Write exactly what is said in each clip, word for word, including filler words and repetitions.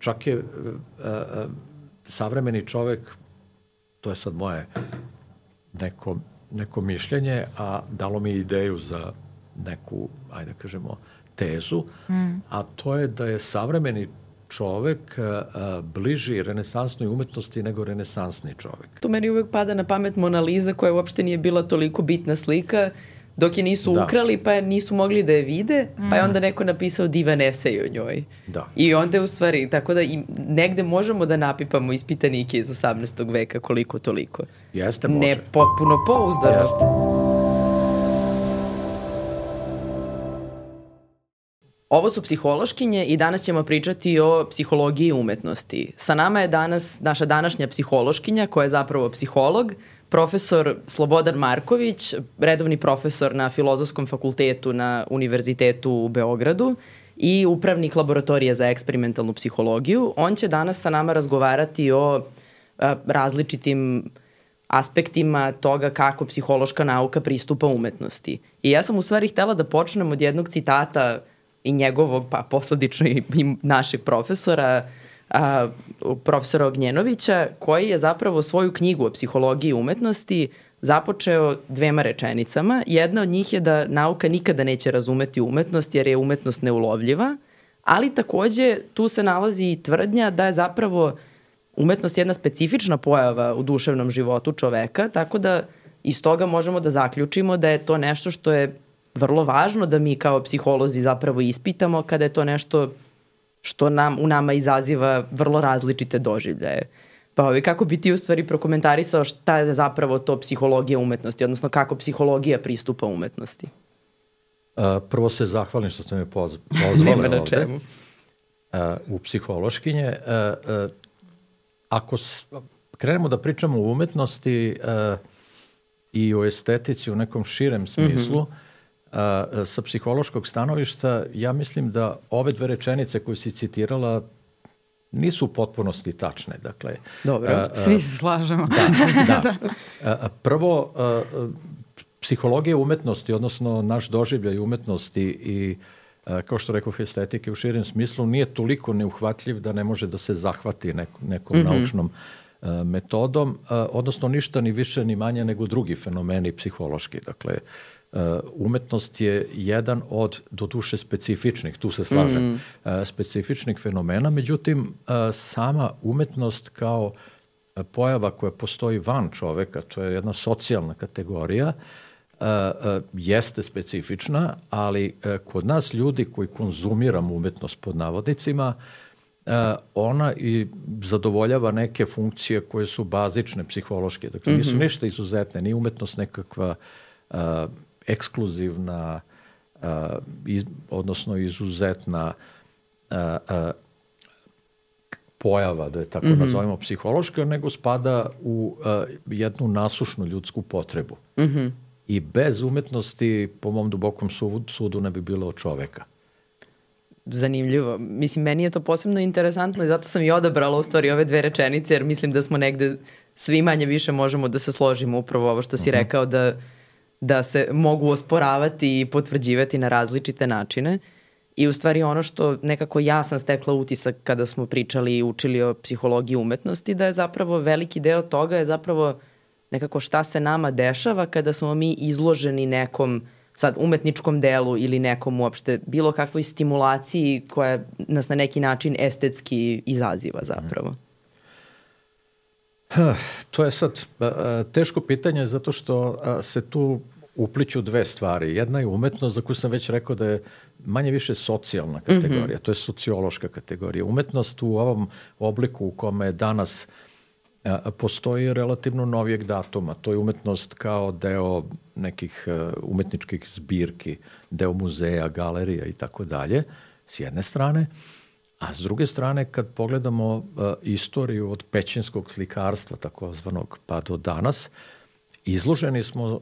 čak je uh, uh, savremeni čovek, to je sad moje neko, neko mišljenje, a dalo mi ideju za neku, ajde kažemo, tezu, mm. a to je da je savremeni čovek a, bliži renesansnoj umetnosti nego renesansni čovek. To meni uvek pada na pamet Mona Lisa, koja uopšte nije bila toliko bitna slika, dok je nisu da. ukrali, pa je nisu mogli da je vide, mm. pa je onda neko napisao divan esej o njoj. Da. I onda je u stvari, tako da i negde možemo da napipamo ispitanike iz osamnaestog veka koliko toliko. Jeste, može. Ne potpuno pouzdano. Jeste. Ovo su psihološkinje i danas ćemo pričati o psihologiji umetnosti. Sa nama je danas naša današnja psihološkinja, koja je zapravo psiholog, profesor Slobodan Marković, redovni profesor na Filozofskom fakultetu na Univerzitetu u Beogradu i upravnik laboratorije za eksperimentalnu psihologiju. On će danas sa nama razgovarati o a, različitim aspektima toga kako psihološka nauka pristupa umetnosti. I ja sam u stvari htela da počnem od jednog citata i njegovog, pa posledično i, i našeg profesora, a, profesora Ognjenovića, koji je zapravo svoju knjigu o psihologiji umetnosti započeo dvema rečenicama. Jedna od njih je da nauka nikada neće razumeti umetnost jer je umetnost neulovljiva, ali takođe tu se nalazi i tvrdnja da je zapravo umetnost jedna specifična pojava u duševnom životu čoveka, tako da iz toga možemo da zaključimo da je to nešto što je vrlo važno da mi kao psiholozi zapravo ispitamo kada je to nešto što nam, u nama izaziva vrlo različite doživljaje. Pa ovi, kako bi ti u stvari prokomentarisao šta je zapravo to psihologija umetnosti, odnosno kako psihologija pristupa umetnosti? Uh, prvo se zahvalim što ste me poz, pozvali ovde čemu. Uh, u psihološkinje. Uh, uh, ako s, krenemo da pričamo o umetnosti uh, i o estetici u nekom širem smislu, mm-hmm. Uh, sa psihološkog stanovišta, ja mislim da ove dve rečenice koje si citirala nisu u potpunosti tačne. Dakle, dobro, uh, svi se slažemo. Da, da. Uh, prvo, uh, psihologija umetnosti, odnosno naš doživljaj umetnosti i, uh, kao što rekao, estetike u širem smislu, nije toliko neuhvatljiv da ne može da se zahvati neko, nekom mm-hmm. naučnom uh, metodom, uh, odnosno ništa ni više ni manje nego drugi fenomeni psihološki. Dakle, Uh, umetnost je jedan od, doduše, specifičnih, tu se slažem, mm. uh, specifičnih fenomena, međutim, uh, sama umetnost kao uh, pojava koja postoji van čoveka, to je jedna socijalna kategorija, uh, uh, jeste specifična, ali uh, kod nas ljudi koji konzumiramo umetnost pod navodnicima, uh, ona i zadovoljava neke funkcije koje su bazične, psihološke. Dakle, nisu mm-hmm. ništa izuzetne, nije umetnost nekakva uh, ekskluzivna, uh, iz, odnosno izuzetna uh, uh, pojava, da je tako mm-hmm. nazovemo psihološka, nego spada u uh, jednu nasušnu ljudsku potrebu. Mm-hmm. I bez umetnosti, po mom dubokom sudu, sudu ne bi bilo od čoveka. Zanimljivo. Mislim, meni je to posebno interesantno i zato sam i odabrala u stvari ove dve rečenice, jer mislim da smo negde svi manje više možemo da se složimo upravo ovo što si mm-hmm. rekao, da da se mogu osporavati i potvrđivati na različite načine. I u stvari ono što nekako ja sam stekla utisak kada smo pričali i učili o psihologiji umetnosti, da je zapravo veliki deo toga je zapravo nekako šta se nama dešava kada smo mi izloženi nekom sad umetničkom delu ili nekom uopšte bilo kakvoj stimulaciji koja nas na neki način estetski izaziva zapravo. To je sad teško pitanje zato što se tu upliću dve stvari. Jedna je umetnost za koju sam već rekao da je manje više socijalna kategorija, mm-hmm. to je sociološka kategorija. Umetnost u ovom obliku u kome je danas postoji relativno novijeg datuma. To je umetnost kao deo nekih umetničkih zbirki, deo muzeja, galerija i tako dalje, s jedne strane. A s druge strane, kad pogledamo uh, istoriju od pećinskog slikarstva, takozvanog, pa do danas, izloženi smo uh,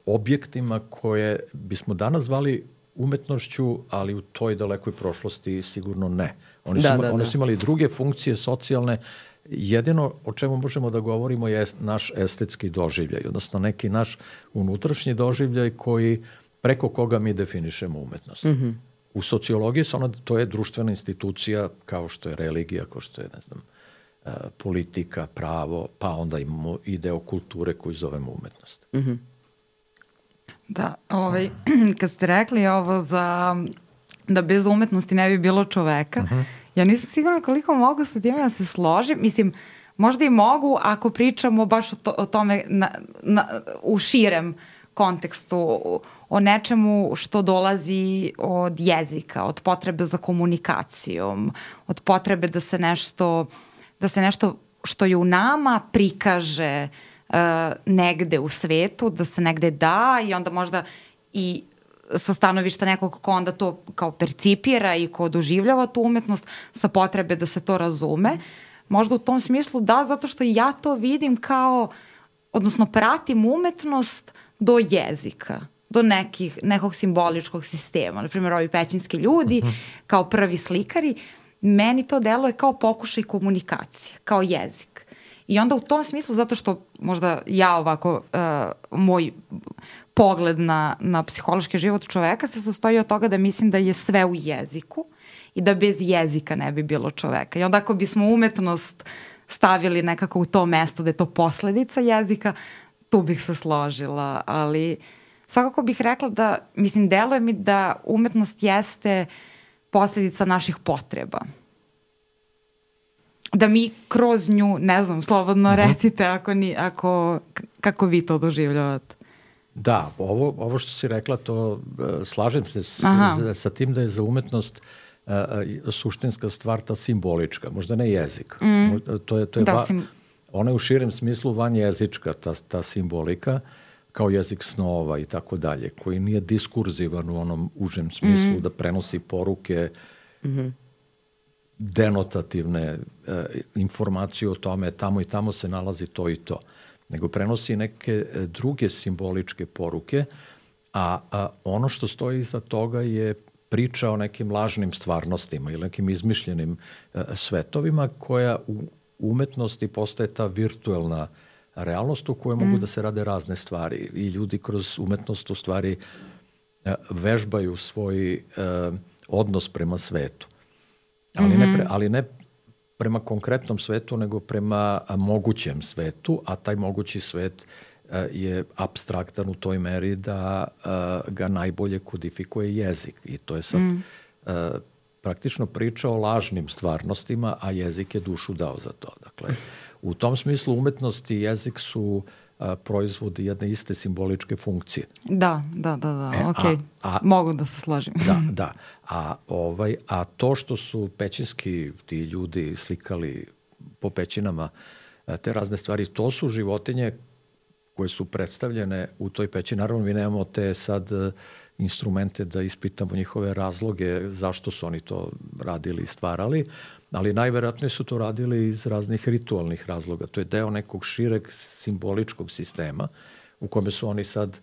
objektima koje bismo danas zvali umetnošću, ali u toj dalekoj prošlosti sigurno ne. Oni, da, su, da, oni da. su imali druge funkcije socijalne. Jedino o čemu možemo da govorimo je naš estetski doživljaj, odnosno neki naš unutrašnji doživljaj koji, preko koga mi definišemo umetnost. Mm-hmm. u sociologiji se ona, to je društvena institucija kao što je religija, kao što je, ne znam, politika, pravo, pa onda imamo i deo kulture koju zovemo umetnost. Mm-hmm. Da, ovaj, kad ste rekli ovo za da bez umetnosti ne bi bilo čoveka, uh-huh. ja nisam sigurna koliko mogu sa time da se složim. Mislim, možda i mogu ako pričamo baš o, to, o tome na, na, u širem kontekstu, o nečemu što dolazi od jezika, od potrebe za komunikacijom, od potrebe da se nešto, da se nešto što je u nama prikaže uh, negde u svetu, da se negde da i onda možda i sa stanovišta nekog ko onda to kao percipira i ko doživljava tu umetnost sa potrebe da se to razume. Možda u tom smislu da, zato što ja to vidim kao, odnosno pratim umetnost do jezika, do nekih, nekog simboličkog sistema. Naprimjer, ovi pećinski ljudi, uh-huh. kao prvi slikari, meni to deluje kao pokušaj komunikacije, kao jezik. I onda u tom smislu, zato što možda ja ovako, uh, moj pogled na, na psihološki život čoveka se sastoji od toga da mislim da je sve u jeziku i da bez jezika ne bi bilo čoveka. I onda ako bismo umetnost stavili nekako u to mesto da je to posledica jezika, tu bih se složila, ali svakako bih rekla da, mislim, deluje mi da umetnost jeste posledica naših potreba. Da mi kroz nju, ne znam, slobodno recite ako ni, ako, kako vi to doživljavate. Da, ovo, ovo što si rekla, to uh, slažem se s, sa tim da je za umetnost uh, suštinska stvar ta simbolička, možda ne jezik. Mm. To je, to je da, va, sim... ona je u širem smislu vanjezička, ta, ta simbolika, kao jezik snova i tako dalje, koji nije diskurzivan u onom užem smislu mm. da prenosi poruke, mm-hmm. denotativne uh, informacije o tome, tamo i tamo se nalazi to i to, nego prenosi neke druge simboličke poruke, a, a ono što stoji iza toga je priča o nekim lažnim stvarnostima ili nekim izmišljenim a, svetovima koja u umetnosti postaje ta virtuelna realnost u kojoj mm. mogu da se rade razne stvari i ljudi kroz umetnost u stvari a, vežbaju svoj a, odnos prema svetu. Ali, mm-hmm. ne, pre, ali ne prema konkretnom svetu, nego prema a, mogućem svetu, a taj mogući svet a, je apstraktan u toj meri da a, ga najbolje kodifikuje jezik. I to je sad mm. a, praktično priča o lažnim stvarnostima, a jezik je dušu dao za to. Dakle, u tom smislu umetnost i jezik su a, proizvodi jedne iste simboličke funkcije. Da, da, da, da. E, ok, a, a, mogu da se složim. Da, da. A, ovaj, a to što su pećinski ti ljudi slikali po pećinama te razne stvari, to su životinje koje su predstavljene u toj pećini. Naravno, mi nemamo te sad instrumente da ispitamo njihove razloge, zašto su oni to radili i stvarali, ali najverovatnije su to radili iz raznih ritualnih razloga. To je deo nekog šireg simboličkog sistema u kome su oni sad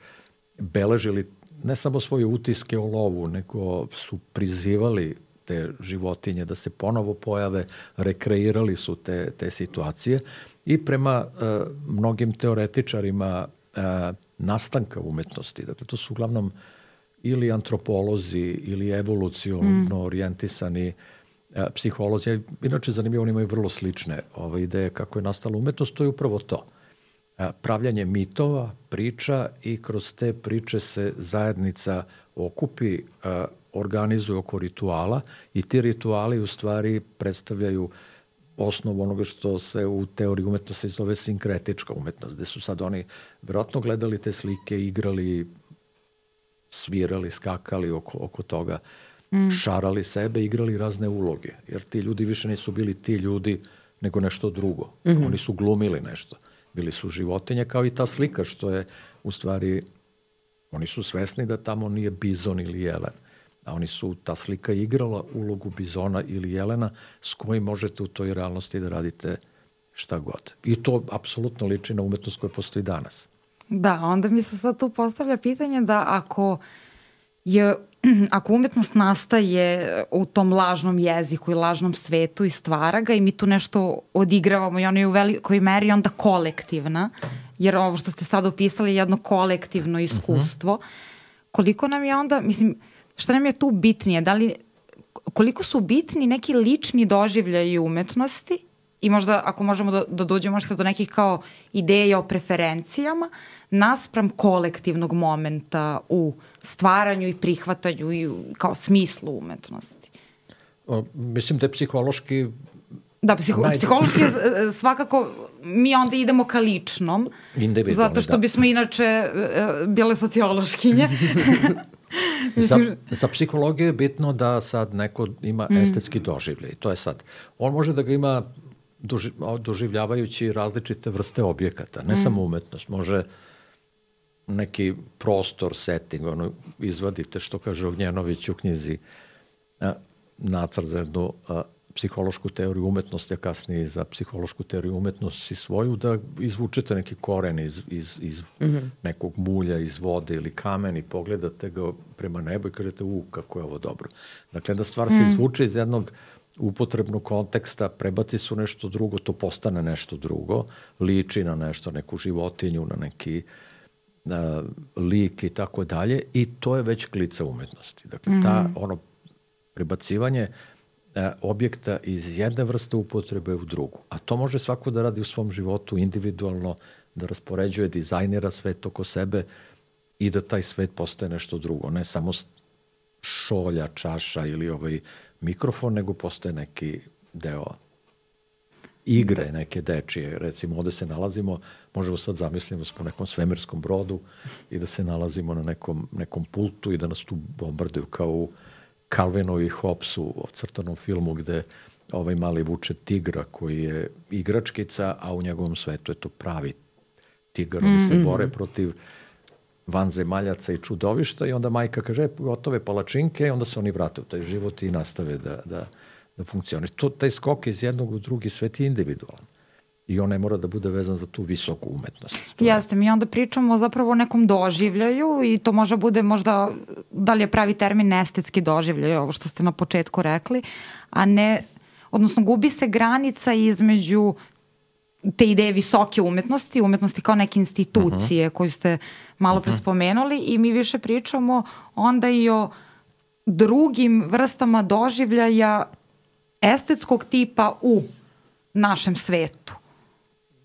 beležili ne samo svoje utiske o lovu, nego su prizivali te životinje da se ponovo pojave, rekreirali su te, te situacije i prema uh, mnogim teoretičarima uh, nastanka umetnosti. Dakle, to su uglavnom ili antropolozi ili evoluciono mm. orijentisani uh, psiholozi. Inače, zanimljivo, oni imaju vrlo slične ove ideje kako je nastala umetnost, to je upravo to. Uh, pravljanje mitova, priča i kroz te priče se zajednica okupi, uh, organizuju oko rituala i ti rituali u stvari predstavljaju osnovu onoga što se u teoriji umetnosti zove sinkretička umetnost, gde su sad oni vjerojatno gledali te slike, igrali, svirali, skakali oko, oko toga, mm. šarali sebe, igrali razne uloge, jer ti ljudi više nisu bili ti ljudi nego nešto drugo. Mm-hmm. Oni su glumili nešto. Bili su životinje kao i ta slika što je u stvari, oni su svesni da tamo nije bizon ili jelen. A oni su, ta slika igrala ulogu bizona ili jelena s kojim možete u toj realnosti da radite šta god. I to apsolutno liči na umetnost koja postoji danas. Da, onda mi se sad tu postavlja pitanje da ako je, ako umetnost nastaje u tom lažnom jeziku i lažnom svetu i stvara ga i mi tu nešto odigravamo i ona je u velikoj meri onda kolektivna, jer ovo što ste sad opisali je jedno kolektivno iskustvo, uh-huh. koliko nam je onda, mislim, šta nam je tu bitnije? Da li, koliko su bitni neki lični doživljaji umetnosti i možda ako možemo da, da dođemo možda do nekih kao ideja o preferencijama naspram kolektivnog momenta u stvaranju i prihvatanju i kao smislu umetnosti? O, mislim da je psihološki Da, psiho, Najde. psihološki je svakako, mi onda idemo ka ličnom, zato što da. bismo inače uh, bile sociološkinje. za, za psihologiju je bitno da sad neko ima mm. estetski doživljaj. To je sad, on može da ga ima doži, doživljavajući različite vrste objekata, ne mm. samo umetnost, može neki prostor, setting, ono, izvadite, što kaže Ognjenović u knjizi, a, nacrt za jednu a, psihološku teoriju umetnosti, a kasnije za psihološku teoriju umetnosti svoju, da izvučete neki koren iz, iz, iz mm-hmm. nekog mulja, iz vode ili kamen i pogledate ga prema nebu i kažete, u, kako je ovo dobro. Dakle, da stvar mm. se izvuče iz jednog upotrebnog konteksta, prebaci su nešto drugo, to postane nešto drugo, liči na nešto, neku životinju, na neki na lik i tako dalje, i to je već klica umetnosti. Dakle, ta, mm. ono, prebacivanje objekta iz jedne vrste upotrebe u drugu. A to može svako da radi u svom životu individualno, da raspoređuje, dizajnira svet oko sebe i da taj svet postaje nešto drugo. Ne samo šolja, čaša ili ovaj mikrofon, nego postaje neki deo igre, neke dečije. Recimo, ovde se nalazimo, možemo sad zamislimo da smo u nekom svemirskom brodu i da se nalazimo na nekom, nekom pultu i da nas tu bombarduju kao u Calvinu i Hobbesu, ocrtanom filmu gde ovaj mali vuče tigra koji je igračkica, a u njegovom svetu je to pravi tigar. Oni se bore protiv vanzemaljaca i čudovišta i onda majka kaže, gotove palačinke, i onda se oni vrate u taj život i nastave da, da, da funkcioniš. To, taj skok iz jednog u drugi svet je individualan. I on ne mora da bude vezan za tu visoku umetnost. Jeste, mi onda pričamo zapravo o nekom doživljaju i to može bude možda, da li je pravi termin estetski doživljaj, ovo što ste na početku rekli, a ne, odnosno gubi se granica između te ideje visoke umetnosti, umetnosti kao neke institucije uh-huh. koju ste malo pre spomenuli, i mi više pričamo onda i o drugim vrstama doživljaja estetskog tipa u našem svetu.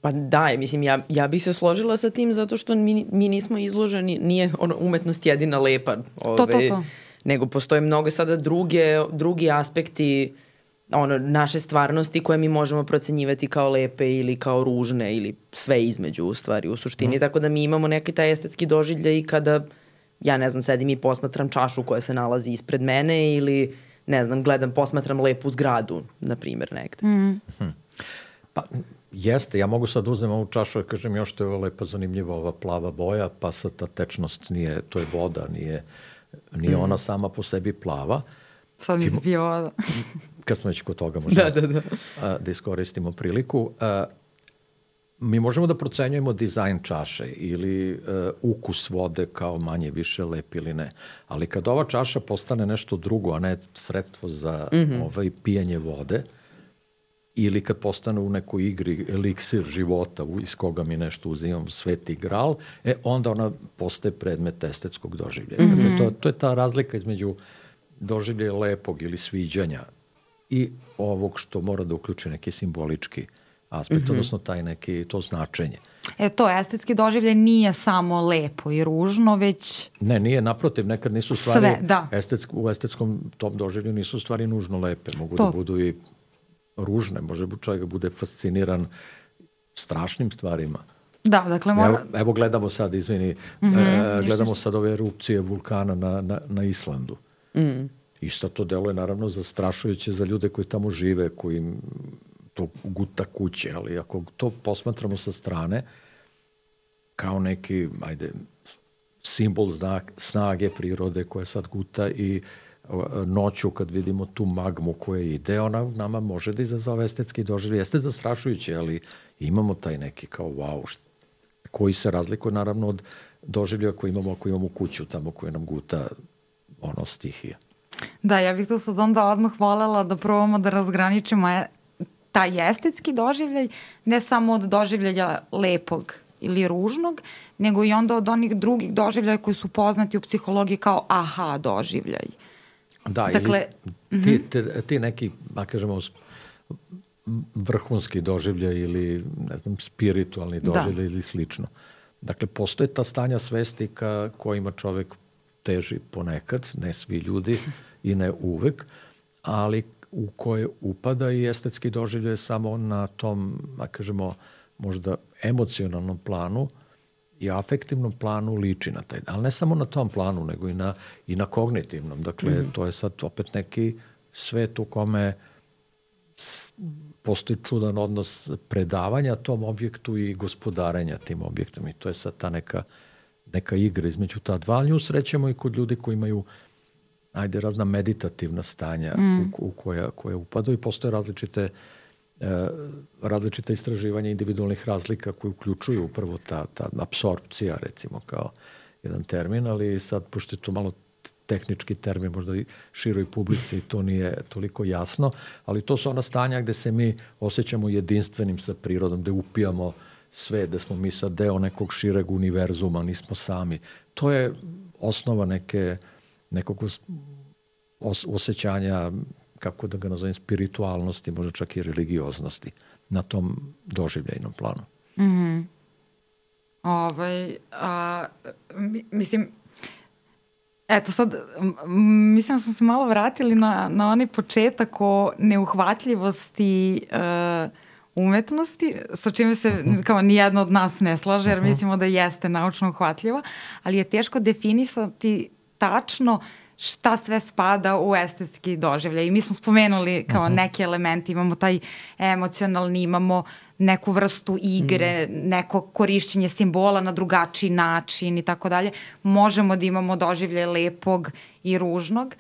Pa da, mislim, ja, ja bih se složila sa tim zato što mi, mi nismo izloženi, nije ono, umetnost jedina lepa. Ove, to, to, to. Nego postoje mnogo sada druge, drugi aspekti ono, naše stvarnosti koje mi možemo procenjivati kao lepe ili kao ružne ili sve između u stvari u suštini. Mm. Tako da mi imamo neki taj estetski doživljaj i kada, ja ne znam, sedim i posmatram čašu koja se nalazi ispred mene ili, ne znam, gledam, posmatram lepu zgradu, na primjer, negde. Mm. Hmm. Pa, jeste, ja mogu sad uzmem ovu čašu i kažem još to je lepa, zanimljiva ova plava boja, pa sad ta tečnost nije, to je voda, nije, nije mm. ona sama po sebi plava. Sad mi se pije voda. Kad smo već kod toga možemo da, da, da. A, da iskoristimo priliku. A, mi možemo da procenjujemo dizajn čaše ili uh, ukus vode kao manje više lep ili ne. Ali kad ova čaša postane nešto drugo, a ne sredstvo za mm-hmm. ovaj, pijanje vode, ili kad postane u nekoj igri eliksir života iz koga mi nešto uzimam, sveti gral, e, onda ona postaje predmet estetskog doživljaja. Mm-hmm. Dakle, to, to je ta razlika između doživljaja lepog ili sviđanja i ovog što mora da uključi neki simbolički aspekt, mm-hmm. odnosno taj neki, to značenje. E to, estetski doživljaj nije samo lepo i ružno, već... Ne, nije, naprotiv, nekad nisu stvari... Sve, da. Estetsk, u estetskom tom doživlju nisu stvari nužno lepe, mogu to. Da budu i ružne, može čovjek bude fasciniran strašnim stvarima. Da, dakle mora... Evo, evo gledamo sad, izvini, mm-hmm, e, gledamo sad ove erupcije vulkana na, na, na Islandu. Mm. Isto to deluje naravno zastrašujuće za ljude koji tamo žive, koji to guta kuće, ali ako to posmatramo sa strane, kao neki, ajde, simbol znak, snage prirode koja sad guta i noću kad vidimo tu magmu koja ide, ona nama može da izazove estetski doživljaj. Jeste zastrašujuće, ali imamo taj neki kao wow, št, koji se razlikuje naravno od doživljaja koji imamo ako imamo kuću tamo koja nam guta ono stihija. Da, ja bih to sad onda odmah voljela da probamo da razgraničimo taj estetski doživljaj, ne samo od doživljaja lepog ili ružnog, nego i onda od onih drugih doživljaja koji su poznati u psihologiji kao aha doživljaj. Da, dakle, ili ti, ti, ti neki, da kažemo, vrhunski doživljaj ili, ne znam, spiritualni doživljaj da. Ili slično. Dakle, postoje ta stanja svesti ka kojima čovek teži ponekad, ne svi ljudi i ne uvek, ali u koje upada i estetski doživljaj samo na tom, da kažemo, možda emocionalnom planu i afektivnom planu liči na taj. Ali ne samo na tom planu, nego i na, i na kognitivnom. Dakle, mm-hmm. to je sad opet neki svet u kome postoji čudan odnos predavanja tom objektu i gospodarenja tim objektom. I to je sad ta neka, neka igra između ta dva. Nju srećemo i kod ljudi koji imaju ajde, razna meditativna stanja mm. u, u koja, koja upadaju i postoje različite, e, različite istraživanja individualnih razlika koje uključuju upravo ta, ta apsorpcija, recimo, kao jedan termin, ali sad, pošto je to malo tehnički termin, možda i široj publici to nije toliko jasno, ali to su ona stanja gde se mi osjećamo jedinstvenim sa prirodom, gde upijamo sve, da smo mi sad deo nekog šireg univerzuma, nismo sami. To je osnova neke nekog os, osjećanja, kako da ga nazovem, spiritualnosti, možda čak i religioznosti na tom doživljajnom planu. Mm-hmm. Ovaj, a, mislim, eto sad, mislim da smo se malo vratili na, na onaj početak o neuhvatljivosti uh, umetnosti, sa čime se uh-huh. kao nijedno od nas ne slaže, jer uh-huh. mislimo da jeste naučno uhvatljiva, ali je teško definisati tačno šta sve spada u estetski doživljaj. I mi smo spomenuli kao uh-huh. neke elemente, imamo taj emocionalni, imamo neku vrstu igre, mm. neko korišćenje simbola na drugačiji način i tako dalje. Možemo da imamo doživljaj lepog i ružnog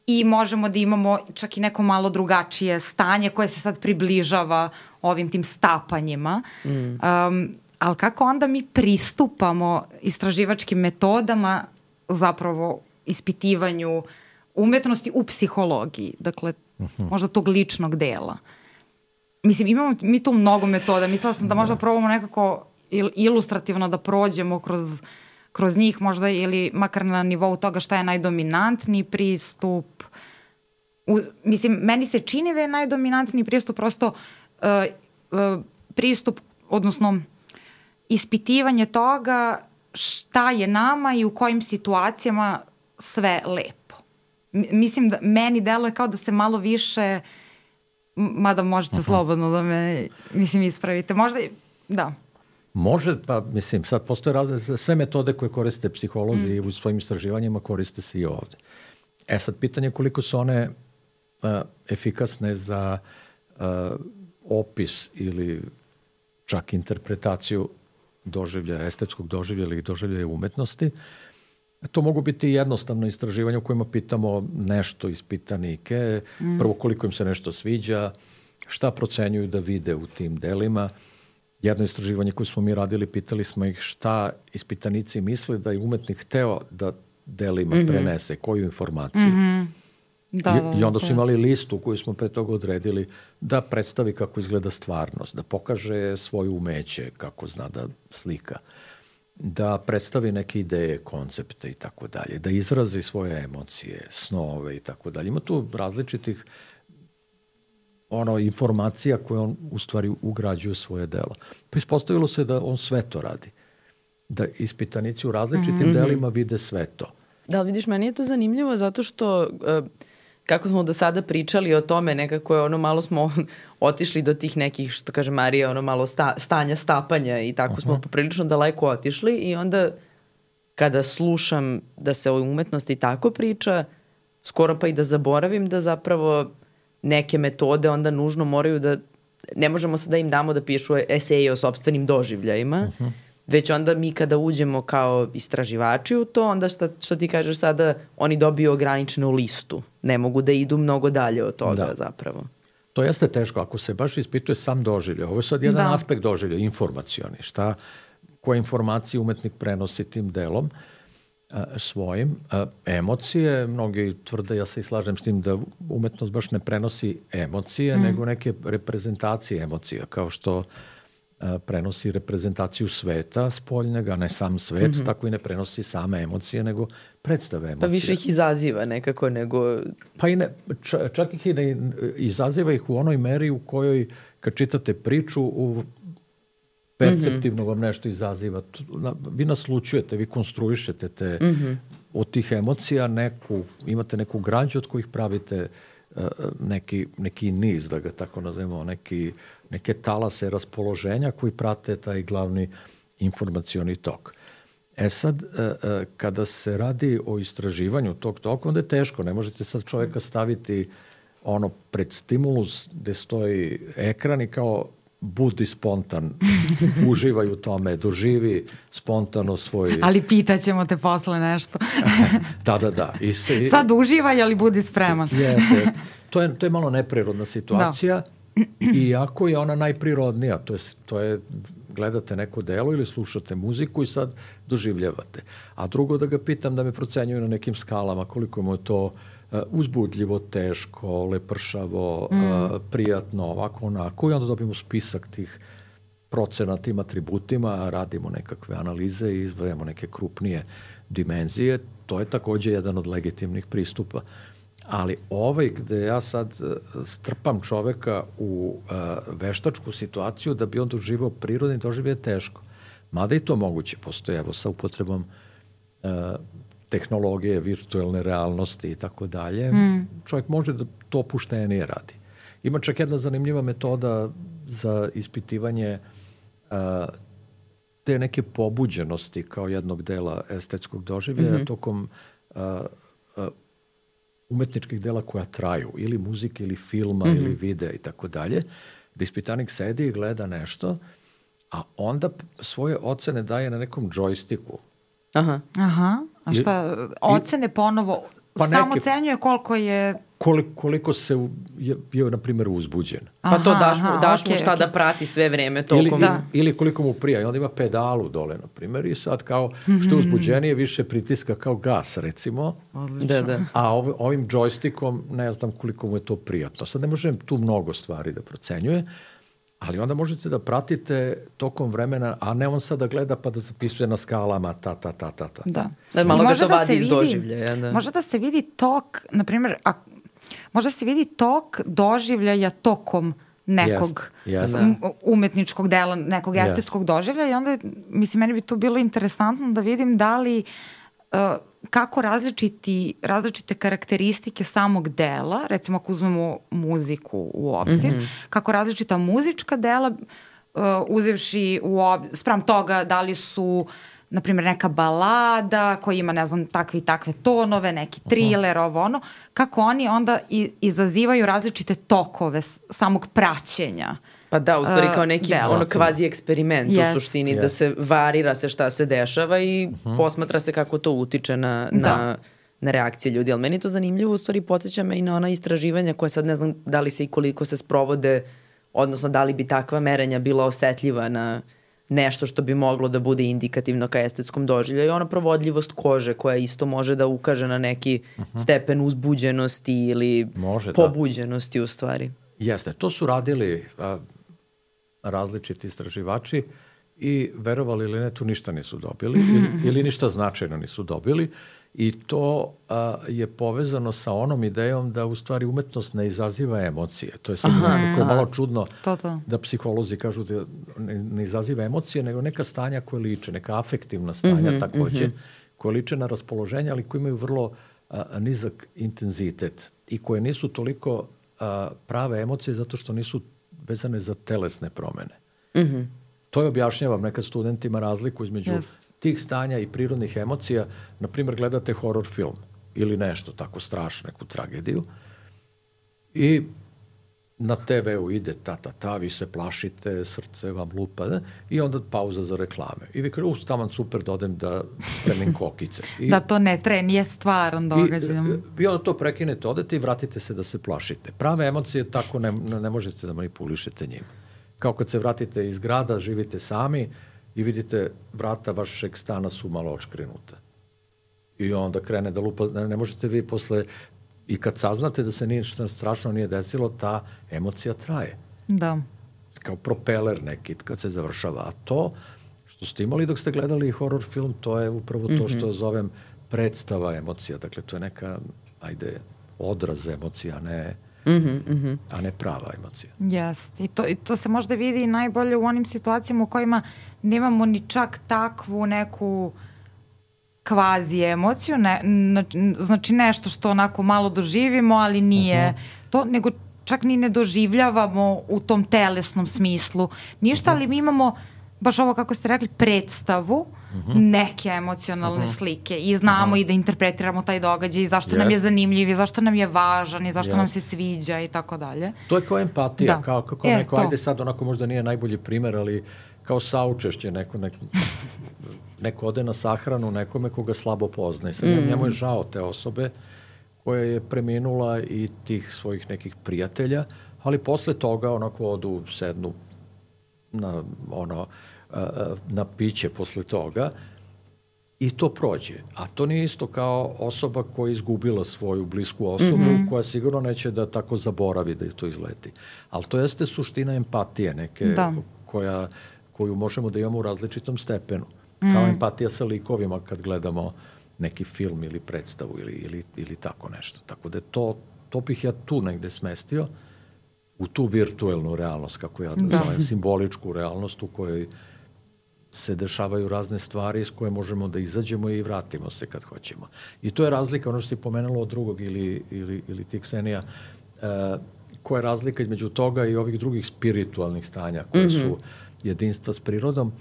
i možemo da imamo čak i neko malo drugačije stanje koje se sad približava ovim tim stapanjima. Mm. Um, ali kako onda mi pristupamo istraživačkim metodama zapravo ispitivanju umetnosti u psihologiji, dakle uh-huh. možda tog ličnog dela. Mislim, imamo mi tu mnogo metoda. Mislila sam da možda probamo nekako il, ilustrativno da prođemo kroz, kroz njih, možda ili makar na nivou toga šta je najdominantniji pristup. U, mislim, meni se čini da je najdominantniji pristup prosto uh, uh, pristup, odnosno ispitivanje toga šta je nama i u kojim situacijama sve lepo. M- mislim da meni deluje kao da se malo više, mada možete uh-huh. slobodno da me, mislim, ispravite. Možda, da. Može, pa mislim, sad postoje razne, sve metode koje koriste psiholozi mm. u svojim istraživanjima koriste se i ovde. E sad, pitanje je koliko su one uh, efikasne za uh, opis ili čak interpretaciju doživljaja, estetskog doživljaja ili doživljaja umetnosti. To mogu biti jednostavno istraživanje u kojima pitamo nešto ispitanike, mm. prvo koliko im se nešto sviđa, šta procenjuju da vide u tim delima. Jedno istraživanje koje smo mi radili, pitali smo ih šta ispitanici misle da je umetnik hteo da delima mm-hmm. prenese, koju informaciju. Mm-hmm. Da, I, I onda su imali listu koju smo pre toga odredili da predstavi kako izgleda stvarnost, da pokaže svoje umeće, kako zna da slika, da predstavi neke ideje, koncepte i tako dalje, da izrazi svoje emocije, snove i tako dalje. Ima tu različitih ono, informacija koje on u stvari ugrađuje u svoje delo. Pa ispostavilo se da on sve to radi. Da ispitanici u različitim mm-hmm. delima vide sve to. Da, vidiš, meni je to zanimljivo zato što uh, kako smo do sada pričali o tome, nekako je ono malo smo otišli do tih nekih, što kaže Marija, ono malo sta, stanja, stapanja i tako uh-huh. smo poprilično daleko otišli i onda kada slušam da se o umetnosti tako priča, skoro pa i da zaboravim da zapravo neke metode onda nužno moraju da, ne možemo sad da im damo da pišu eseje o sopstvenim doživljajima, uh-huh. već onda mi kada uđemo kao istraživači u to, onda šta, što ti kažeš sada, oni dobiju ograničenu listu. Ne mogu da idu mnogo dalje od toga da. Zapravo. To jeste teško. Ako se baš ispituje sam doživljaj, ovo je sad jedan da. aspekt doživlja, informacioni. Šta, koje informacije umetnik prenosi tim delom a, svojim. A, emocije, mnogi tvrde, ja se i slažem s tim, da umetnost baš ne prenosi emocije, mm. nego neke reprezentacije emocija, kao što a, prenosi reprezentaciju sveta spoljnega, ne sam svet, mm-hmm. tako i ne prenosi same emocije, nego predstave emocije. Pa više ih izaziva nekako nego... Pa i ne, čak, čak ih i ne izaziva ih u onoj meri u kojoj kad čitate priču u perceptivno vam nešto izaziva. Vi naslučujete, vi konstruišete te, mm-hmm. od tih emocija neku, imate neku građu od kojih pravite uh, neki, neki niz, da ga tako nazovemo, neki, neke talase raspoloženja koji prate taj glavni informacioni tok. E sad, uh, uh, kada se radi o istraživanju tog toka, onda je teško. Ne možete sad čovjeka staviti ono pred stimulus gde stoji ekran i kao budi spontan, uživaj u tome, doživi spontano svoj... Ali pitaćemo te posle nešto. da, da, da. I se, sad uživaj, ali budi spreman. Jeste, jeste. To je, to je malo neprirodna situacija, da. Iako je ona najprirodnija. To je, to je, gledate neko delo ili slušate muziku i sad doživljavate. A drugo da ga pitam da me procenjuju na nekim skalama, koliko mu je to Uh, uzbudljivo, teško, lepršavo, mm. uh, prijatno, ovako, onako, i onda dobijemo spisak tih procena tim atributima, radimo nekakve analize i izdvajamo neke krupnije dimenzije. To je takođe jedan od legitimnih pristupa. Ali ovaj gde ja sad uh, strpam čoveka u uh, veštačku situaciju da bi on doživao prirodni doživlje je teško. Mada i to moguće postoje, evo, sa upotrebom uh, tehnologije, virtualne realnosti i tako dalje, čovjek može da to opuštenije radi. Ima čak jedna zanimljiva metoda za ispitivanje uh, te neke pobuđenosti kao jednog dela estetskog doživljaja mm-hmm. tokom uh, uh, umetničkih dela koja traju, ili muzike, ili filma, mm-hmm. ili videa i tako dalje, da ispitanik sedi i gleda nešto, a onda svoje ocene daje na nekom džojstiku. Aha. Aha. A šta, ocene ponovo, pa samo ocenjuje koliko je... Koliko, koliko se je bio, na primjer, uzbuđen. Pa to daš mu, daš okay, mu šta okay. da prati sve vreme tokom... Ili, da. ili koliko mu prija. I onda ima pedalu dole, na primjer, i sad kao što je uzbuđenije više pritiska kao gas, recimo. Da, da. A ov, ovim džojstikom ne znam koliko mu je to prijatno. Sad ne možem tu mnogo stvari da procenjuje, ali onda možete da pratite tokom vremena, a ne on sad da gleda pa da zapisuje na skalama ta, ta, ta, ta, ta. Da. Da malo ga to vadi iz doživljaja. Da. Može da se vidi tok, na primjer, a, može da se vidi tok doživljaja tokom nekog yes, yes. umetničkog dela, nekog yes. estetskog doživljaja i onda, mislim, meni bi tu bilo interesantno da vidim da li uh, kako različiti, različite karakteristike samog dela, recimo ako uzmemo muziku u obzir, mm-hmm. kako različita muzička dela, uh, uzevši u ob... sprem toga da li su, na primjer, neka balada koja ima, ne znam, takve i takve tonove, neki thriller, uh-huh. ovo ono, kako oni onda i, izazivaju različite tokove samog praćenja. Pa da, u stvari kao neki uh, ono kvazi eksperiment yes. u suštini, yes. da se varira se šta se dešava i uh-huh. posmatra se kako to utiče na, na, na reakcije ljudi. Ali meni je to zanimljivo, u stvari podsjeća me i na ona istraživanja koje sad ne znam da li se i koliko se sprovode, odnosno da li bi takva merenja bila osetljiva na nešto što bi moglo da bude indikativno ka estetskom doživljaju. I ona provodljivost kože koja isto može da ukaže na neki uh-huh. stepen uzbuđenosti ili može, pobuđenosti da. U stvari. Jeste, to su radili a, različiti istraživači i verovali ili ne, tu ništa nisu dobili ili, ili ništa značajno nisu dobili i to a, je povezano sa onom idejom da u stvari umetnost ne izaziva emocije. To je sad nekako malo čudno to, to. Da psiholozi kažu da ne, ne izaziva emocije, nego neka stanja koje liče, neka afektivna stanja mm-hmm, takođe, mm-hmm. koje liče na raspoloženje, ali koje imaju vrlo a, nizak intenzitet i koje nisu toliko a, prave emocije zato što nisu vezane za telesne promene. Mm-hmm. To je objašnjavam nekad studentima razliku između yes. tih stanja i prirodnih emocija. Naprimjer, gledate horor film ili nešto tako strašno, neku tragediju i na te veu ide ta, ta, ta, vi se plašite, srce vam lupa, ne? I onda pauza za reklame. I vi kažu, taman super da odem da spremim kokice. I, da to ne tre, nije stvaran događaj. I, I onda to prekinete, odete i vratite se da se plašite. Prave emocije tako ne, ne možete da manipulišete njima. Kao kad se vratite iz grada, živite sami i vidite vrata vašeg stana su malo očkrenuta. I onda krene da lupa, ne, ne možete vi posle, i kad saznate da se ništa strašno nije desilo, ta emocija traje. Da. kao propeler neki kad se završava. A to što ste imali dok ste gledali horror film, to je upravo to što zovem predstava emocija. Dakle, to je neka, ajde, odraz emocija, a ne, mm-hmm, mm-hmm. a ne prava emocija. Jeste. I to, i to se možda vidi najbolje u onim situacijama u kojima nemamo ni čak takvu neku kvazi emociju, ne, znači nešto što onako malo doživimo, ali nije uh-huh. to, nego čak ni ne doživljavamo u tom telesnom smislu. Ništa, uh-huh. ali mi imamo baš ovo kako ste rekli, predstavu uh-huh. neke emocionalne uh-huh. slike i znamo uh-huh. i da interpretiramo taj događaj i zašto yes. nam je zanimljiv i zašto nam je važan i zašto yes. nam se sviđa i tako dalje. To je kao empatija, da. kao kako e, neko, to. Ajde sad onako možda nije najbolji primer, ali kao saučešće, neko, neko, neko ode na sahranu nekome koga slabo poznaje. Sad mm. njemu je žao te osobe koja je preminula i tih svojih nekih prijatelja, ali posle toga onako odu, sednu na, ono, na piće posle toga i to prođe. A to nije isto kao osoba koja je izgubila svoju blisku osobu, mm-hmm. koja sigurno neće da tako zaboravi da je to izleti. Ali to jeste suština empatije neke da. koja koju možemo da imamo u različitom stepenu. Mm. Kao empatija sa likovima kad gledamo neki film ili predstavu ili, ili, ili tako nešto. Tako da to, to bih ja tu negde smestio u tu virtuelnu realnost, kako ja da zovem, simboličku realnost u kojoj se dešavaju razne stvari s koje možemo da izađemo i vratimo se kad hoćemo. I to je razlika, ono što si pomenula od drugog ili, ili, ili ti, Ksenija, uh, koja je razlika između toga i ovih drugih spiritualnih stanja koje mm-hmm. su jedinstva s prirodom.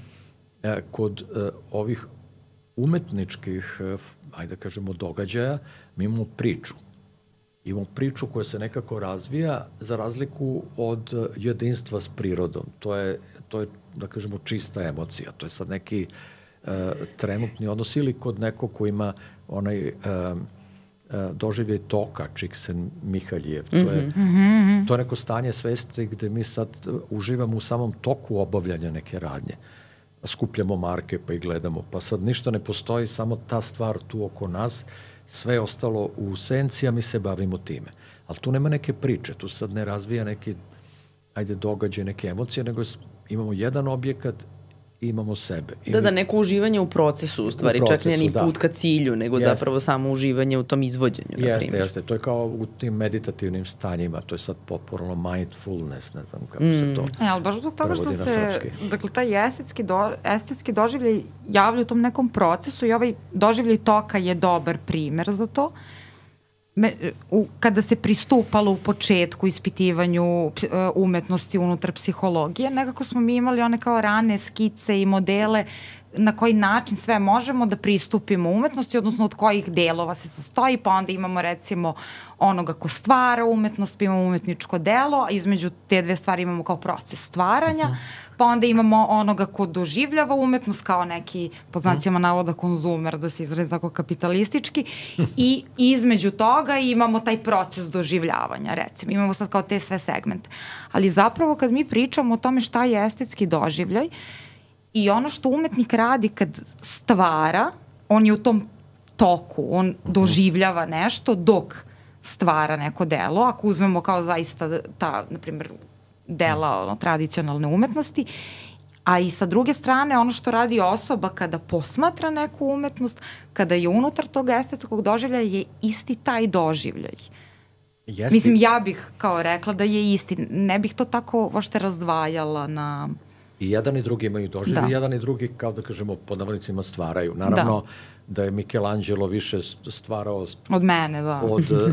E, kod e, ovih umetničkih, e, ajde da kažemo, događaja, mi imamo priču. Imamo priču koja se nekako razvija za razliku od e, jedinstva s prirodom. To je, to je, da kažemo, čista emocija. To je sad neki e, trenutni odnos ili kod nekog ko ima onaj e, e, doživljaj toka, Csikszentmihalyijev. To je, mm-hmm. to je neko stanje svesti gde mi sad uživamo u samom toku obavljanja neke radnje. Skupljamo marke pa ih gledamo. Pa sad ništa ne postoji, samo ta stvar tu oko nas, sve je ostalo u senci, a mi se bavimo time. Ali tu nema neke priče, tu sad ne razvija neki, ajde, događaj, neke emocije, nego imamo jedan objekat, imamo sebe. I da, da, neko uživanje u procesu, u stvari, u procesu, čak nije ni put ka cilju, nego jeste. Zapravo samo uživanje u tom izvođenju, na primjer. Jeste, jeste, to je kao u tim meditativnim stanjima, to je sad popularno mindfulness, ne znam kako mm. se to e, ali baš zbog toga što se, dakle, taj estetski, do, estetski doživljaj javlja u tom nekom procesu i ovaj doživljaj toka je dobar primer za to. Me, u, kada se pristupalo u početku ispitivanju umetnosti unutar psihologije, nekako smo mi imali one kao rane skice i modele na koji način sve možemo da pristupimo umetnosti, odnosno od kojih delova se sastoji, pa onda imamo recimo onoga ko stvara umetnost, pa imamo umetničko delo, a između te dve stvari imamo kao proces stvaranja, pa onda imamo onoga ko doživljava umetnost kao neki, po znacima navoda, konzumer, da se izrazi tako kapitalistički, i između toga imamo taj proces doživljavanja, recimo. Imamo sad kao te sve segmente. Ali zapravo kad mi pričamo o tome šta je estetski doživljaj, i ono što umetnik radi kad stvara, on je u tom toku, on doživljava nešto dok stvara neko delo. Ako uzmemo kao zaista ta, na primjer, dela ono, tradicionalne umetnosti, a i sa druge strane ono što radi osoba kada posmatra neku umetnost, kada je unutar tog estetskog doživljaja je isti taj doživljaj. Jesti. Mislim, ja bih kao rekla da je isti. Ne bih to tako vošte razdvajala na... I jedan i drugi imaju doživljaj, da. Jedan i drugi, kao da kažemo, pod navodnicima stvaraju. Naravno da, da je Michelangelo više stvarao... Od mene, da. Od, uh, uh,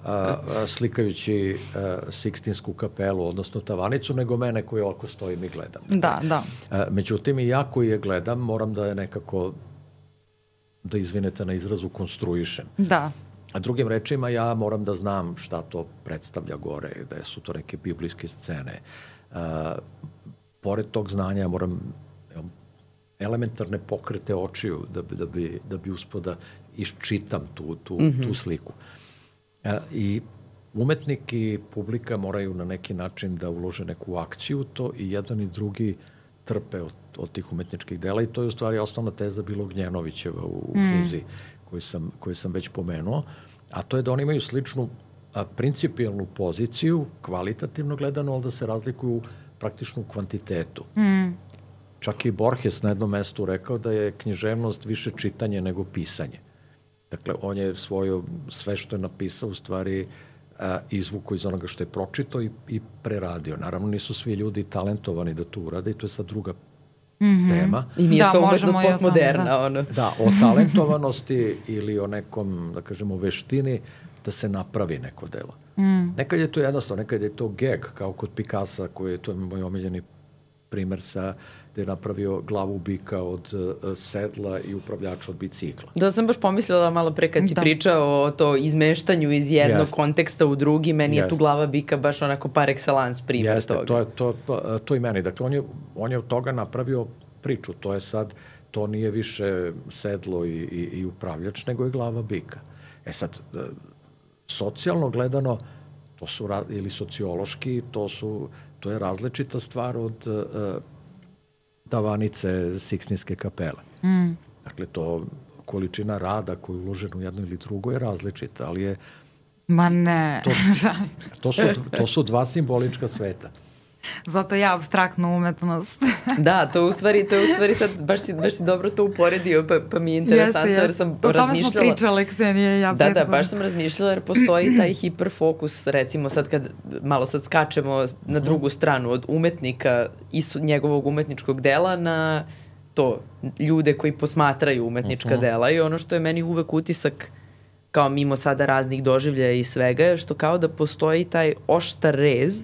uh, slikajući uh, Sikstinsku kapelu, odnosno tavanicu, nego mene koji oko stojim i gledam. Da, da. Uh, međutim, i ja koji je gledam, moram da je nekako, da izvinete na izrazu, konstruišem. Da. A drugim rečima, ja moram da znam šta to predstavlja gore, da su to neke biblijske scene. Uh, pored tog znanja ja moram elementarne pokrete očiju da bi, da bi, da bi uspio da iščitam tu, tu, mm-hmm. tu sliku. E, I umetnik i publika moraju na neki način da ulože neku akciju to i jedan i drugi trpe od, od tih umetničkih dela i to je u stvari osnovna teza bilo Gnjenovićeva u, u knjizi mm. koju sam, koju sam već pomenuo, a to je da oni imaju sličnu a, principijalnu poziciju, kvalitativno gledano, ali da se razlikuju praktično u kvantitetu. Mm. Čak i Borges na jednom mestu rekao da je književnost više čitanje nego pisanje. Dakle, on je svojo, sve što je napisao u stvari a, izvuko iz onoga što je pročitao i, i preradio. Naravno, nisu svi ljudi talentovani da to urade i to je sad druga mm-hmm. tema. I nije da, sva umetnost postmoderna. Da. Ono. Da, o talentovanosti ili o nekom, da kažemo, veštini da se napravi neko delo. Mm. Nekad je to jednostavno, nekad je to gag, kao kod Picassa, koji je, to je moj omiljeni primer sa gde je napravio glavu bika od uh, sedla i upravljača od bicikla. Da, sam baš pomislila malo pre kad si da. pričao o to izmeštanju iz jednog Jeste. konteksta u drugi, meni Jeste. je tu glava bika baš onako par excellence primjer Jeste. toga. To je to, to, to i meni. Dakle, on je, on je od toga napravio priču. To je sad, to nije više sedlo i, i, i upravljač, nego je glava bika. E sad, socijalno gledano, to su, ili sociološki, to su, to je različita stvar od uh, davanice Sikstinske kapele. Mm. Dakle, to količina rada koju je uložena u jedno ili drugo je različita, ali je... Ma ne, to, to, su, to su dva simbolička sveta. Zato ja apstraktnu umetnost. Da, to u stvari, to je u stvari sad, baš si, baš si dobro to uporedio, pa, pa mi je interesantno, jeste, jeste. jer sam o razmišljala... O tome smo pričale, Ksenija i ja. Da, da, baš sam razmišljala jer postoji taj hiperfokus, recimo sad kad malo sad skačemo na drugu stranu od umetnika i njegovog umetničkog dela na to, ljude koji posmatraju umetnička uh-huh. dela i ono što je meni uvek utisak kao mimo sada raznih doživljaja i svega je što kao da postoji taj oštar rez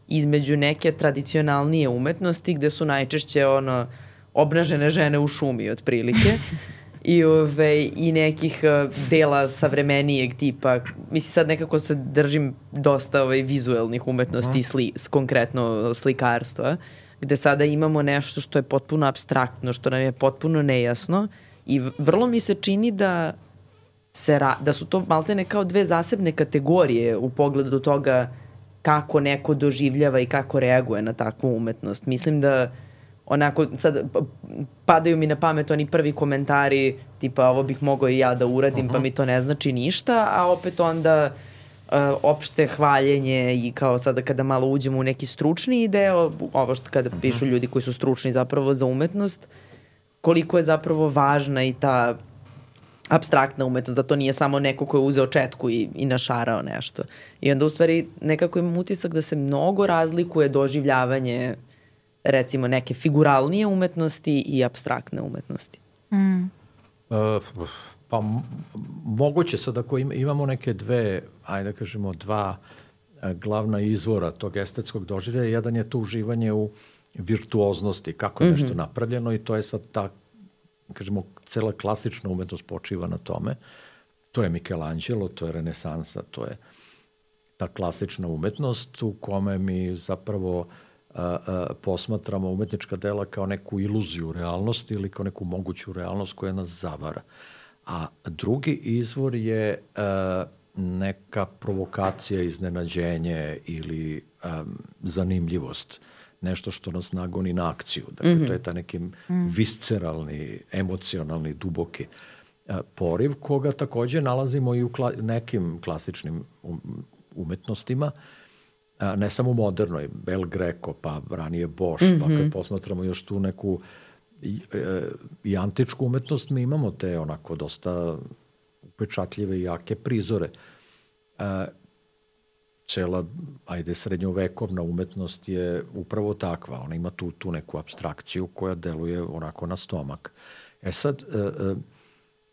između neke tradicionalnije umetnosti gde su najčešće ono obnažene žene u šumi otprilike i, ove, i nekih uh, dela savremenijeg tipa. Mislim sad nekako se držim dosta ove, vizuelnih umetnosti, sli, konkretno slikarstva, gde sada imamo nešto što je potpuno apstraktno, što nam je potpuno nejasno i vrlo mi se čini da, se ra, da su to maltene kao dve zasebne kategorije u pogledu toga kako neko doživljava i kako reaguje na takvu umetnost. Mislim da onako, sad padaju mi na pamet oni prvi komentari tipa ovo bih mogao i ja da uradim, uh-huh. pa mi to ne znači ništa, a opet onda uh, opšte hvaljenje i kao sada kada malo uđemo u neki stručni deo, ovo što kada uh-huh. pišu ljudi koji su stručni zapravo za umetnost, koliko je zapravo važna i ta apstraktna umetnost, da to nije samo neko ko je uzeo četku i, i našarao nešto. I onda u stvari nekako imam utisak da se mnogo razlikuje doživljavanje recimo neke figuralnije umetnosti i apstraktne umetnosti. Mm. Uh, pa m- moguće sad ako im, imamo neke dve, ajde da kažemo dva uh, glavna izvora tog estetskog doživljaja, jedan je to uživanje u virtuoznosti, kako je mm-hmm. nešto napravljeno i to je sad ta kažemo, cela klasična umetnost počiva na tome. To je Michelangelo, to je renesansa, to je ta klasična umetnost u kome mi zapravo a, a, posmatramo umetnička dela kao neku iluziju realnosti ili kao neku moguću realnost koja nas zavara. A drugi izvor je a, neka provokacija, iznenađenje ili a, zanimljivost. Nešto što nas nagoni na akciju. Dakle, mm-hmm. to je ta neki mm. visceralni, emocionalni, duboki a, poriv, koga takođe nalazimo i u kla, nekim klasičnim um, umetnostima, a, ne samo modernoj, Bel Greco, pa ranije Bosch, mm-hmm. pa kad posmatramo još tu neku i, e, i antičku umetnost, mi imamo te onako dosta upečatljive i jake prizore. A, cela, ajde, srednjovekovna umetnost je upravo takva. Ona ima tu, tu neku apstrakciju koja deluje onako na stomak. E sad, e, e,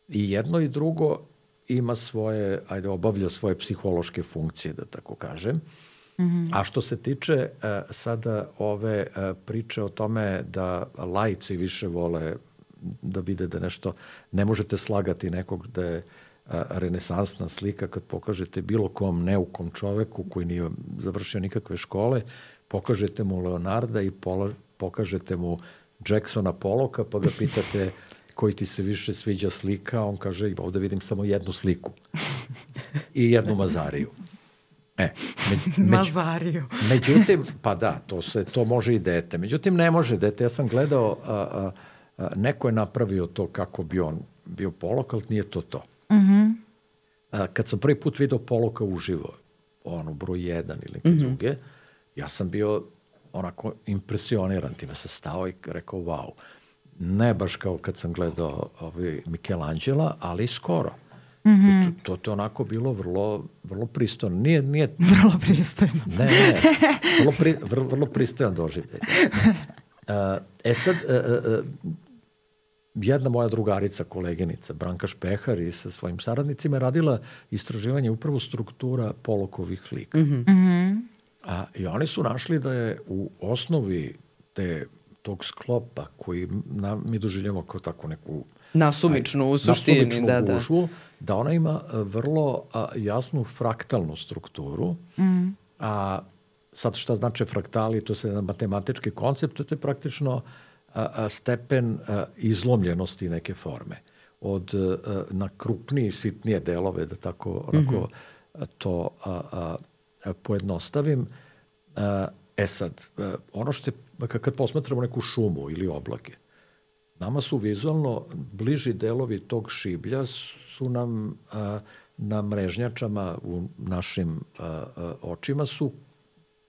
i jedno i drugo ima svoje, ajde, obavlja svoje psihološke funkcije, da tako kažem. Mm-hmm. A što se tiče e, sada ove e, priče o tome da laici više vole da vide da nešto, ne možete slagati nekog da je renesansna slika kad pokažete bilo kom neukom čoveku koji nije završio nikakve škole, pokažete mu Leonarda i pola, pokažete mu Jacksona Pollocka pa ga pitate koji ti se više sviđa slika, on kaže ovde vidim samo jednu sliku i jednu Mazariju. E, među, Mazariju. Međutim, pa da, to, se, to može i dete. Međutim, ne može dete. Ja sam gledao, a, a, a, neko je napravio to kako bi on bio Pollock, ali nije to to. Mm-hmm. A, kad sam prvi put vidio Pollocka uživo, ono, broj jedan ili neke mm-hmm. druge, ja sam bio onako impresioniran time, sam stao i rekao wow. Ne baš kao kad sam gledao ovaj Michelangela, ali skoro. Mm-hmm. To, to, to onako bilo vrlo, vrlo pristojno. Nije, nije... Vrlo pristojno. Ne, ne, vrlo, pri, vrlo, vrlo pristojan doživljaj. Uh, e sad, uh, uh, jedna moja drugarica, koleginica, Branka Špehar i sa svojim saradnicima je radila istraživanje upravo struktura Pollokovih slika. Mm-hmm. A, I oni su našli da je u osnovi te, tog sklopa koji na, mi doživljamo kao tako neku nasumičnu u suštini, nasumičnu da, da. gužvu, da ona ima vrlo a, jasnu fraktalnu strukturu. Mm. A sad šta znači fraktali, to je jedan matematički koncept, to je praktično a, a, stepen a, izlomljenosti neke forme. Od a, na krupnije, sitnije delove, da tako onako, mm-hmm. to a, a, a, pojednostavim. A, e sad, a, ono što je, kad posmatramo neku šumu ili oblake, nama su vizualno bliži delovi tog šiblja su nam a, na mrežnjačama u našim a, a, očima su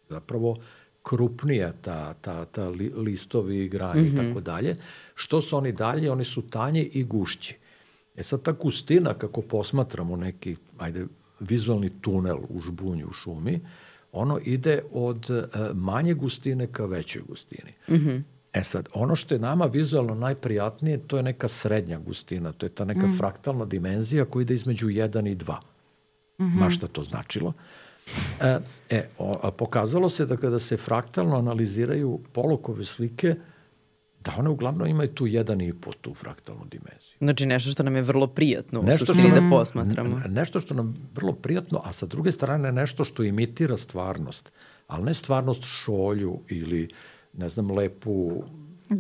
zapravo krupnija ta, ta, ta li, listovi, graje mm-hmm. i tako dalje. Što su oni dalje? Oni su tanji i gušći. E sad ta gustina, kako posmatramo neki, ajde, vizualni tunel u žbunju, u šumi, ono ide od a, manje gustine ka većoj gustini. Mm-hmm. E sad, ono što je nama vizualno najprijatnije, to je neka srednja gustina, to je ta neka mm. fraktalna dimenzija koja ide između jedan i dva. Mm-hmm. Ma šta to značilo? E, e o, a pokazalo se da kada se fraktalno analiziraju Pollockove slike, da one uglavnom imaju tu jedan i po tu fraktalnu dimenziju. Znači nešto što nam je vrlo prijatno u suštini da posmatramo. Nešto što nam je vrlo prijatno, a sa druge strane nešto što imitira stvarnost, ali ne stvarnost šolju ili ne znam, lepu...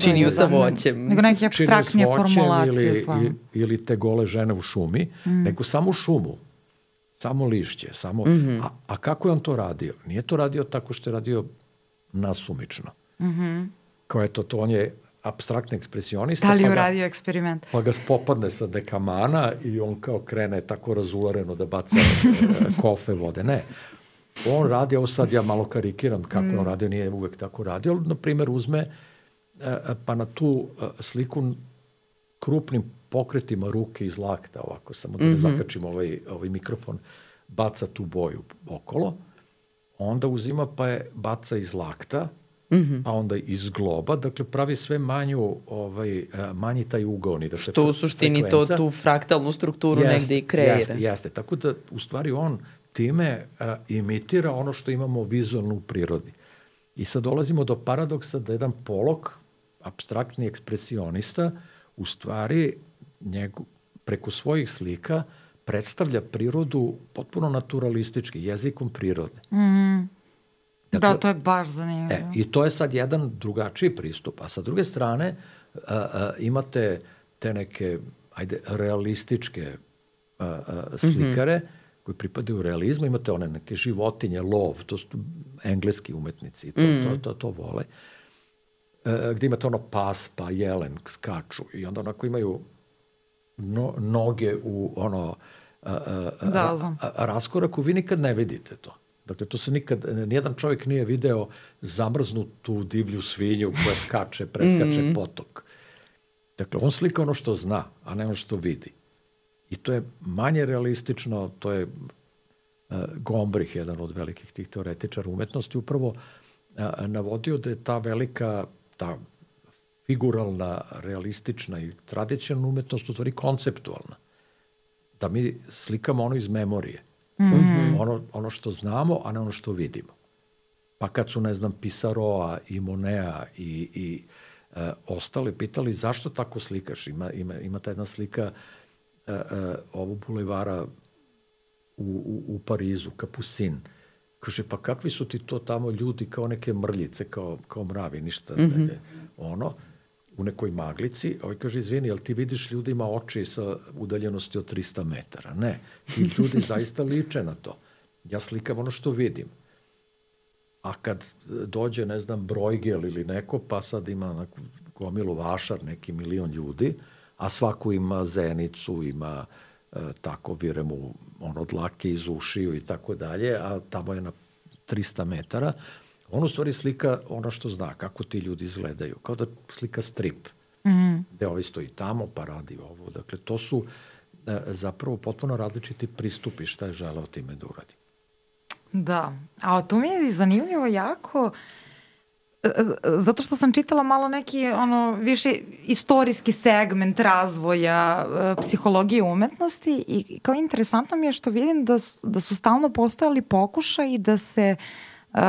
Činiju sa voćem. Nego neke abstraktnije formulacije. Ili, ili te gole žene u šumi, mm. nego samo šumu, samo lišće. Samo, mm-hmm. a, a kako je on to radio? Nije to radio tako što je radio nasumično. Mm-hmm. Kao eto, to on je abstraktni ekspresionista. Da li je pa uradio eksperiment? Pa ga spopadne sa neka mana i on kao krene tako razulareno da baca kofe vode. Ne. On radi, ovo sad ja malo karikiram kako mm. on radio, nije uvek tako radio, ali na primjer uzme pa na tu sliku krupnim pokretima ruke iz lakta, ovako, samo da ne mm-hmm. zakačim ovaj, ovaj mikrofon, baca tu boju okolo, onda uzima pa je baca iz lakta, mm-hmm. pa onda iz globa, dakle pravi sve manju, ovaj, manji taj ugaoni. Dakle, što u suštini to, tu fraktalnu strukturu jeste, negde i kreira. Jeste, jeste, tako da u stvari on time a, imitira ono što imamo vizualno u prirodi. I sad dolazimo do paradoksa da jedan Pollock, apstraktni ekspresionista, u stvari njegu, preko svojih slika predstavlja prirodu potpuno naturalistički, jezikom prirode. Mm. Dakle, da, to je baš zanimljivo. E, I to je sad jedan drugačiji pristup. A sa druge strane a, a, imate te neke, ajde, realističke a, a, slikare, mm-hmm. koji pripadaju realizmu, imate one neke životinje, lov, to su engleski umetnici, to, mm. to, to, to vole, e, gde imate ono pas, pa jelen, skaču i onda onako imaju no, noge u ono a, a, da, a, a, raskoraku, vi nikad ne vidite to. Dakle, to se nikad, nijedan čovjek nije video zamrznutu divlju svinju koja skače, preskače mm. potok. Dakle, on slika ono što zna, a ne ono što vidi. I to je manje realistično, to je uh, Gombrich, jedan od velikih tih teoretičara umetnosti, upravo uh, navodio da je ta velika, ta figuralna, realistična i tradicionalna umetnost u stvari konceptualna. Da mi slikamo ono iz memorije. Mm-hmm. Ono, ono što znamo, a ne ono što vidimo. Pa kad su, ne znam, Pisaroa i Monea i, i uh, ostali pitali zašto tako slikaš? Ima, ima, ima ta jedna slika Uh, uh, ovo bulevara u, u, u Parizu, Capucine. Kaže, pa kakvi su ti to tamo ljudi kao neke mrljice, kao, kao mravi, ništa. Mm-hmm. Ne, ono, u nekoj maglici. Ovaj kaže, izvini, jel ti vidiš ljudima oči sa udaljenosti od trista metara? Ne, ti ljudi zaista liče na to. Ja slikam ono što vidim. A kad dođe, ne znam, Bruegel ili neko, pa sad ima na gomilu vašar, neki milion ljudi, a svako ima zenicu, ima e, tako vire mu ono dlake iz ušiju i tako dalje, a tamo je na trista metara, On u stvari slika ono što zna, kako ti ljudi izgledaju, kao da slika strip. Mm. Gde ovaj stoji tamo, pa radi ovo. Dakle, to su e, zapravo potpuno različiti pristupi šta je želeo time da uradi. Da, a tu mi je zanimljivo jako, zato što sam čitala malo neki ono više istorijski segment razvoja e, psihologije umetnosti i kao interesantno mi je što vidim da su, da su stalno postojali pokušaji da se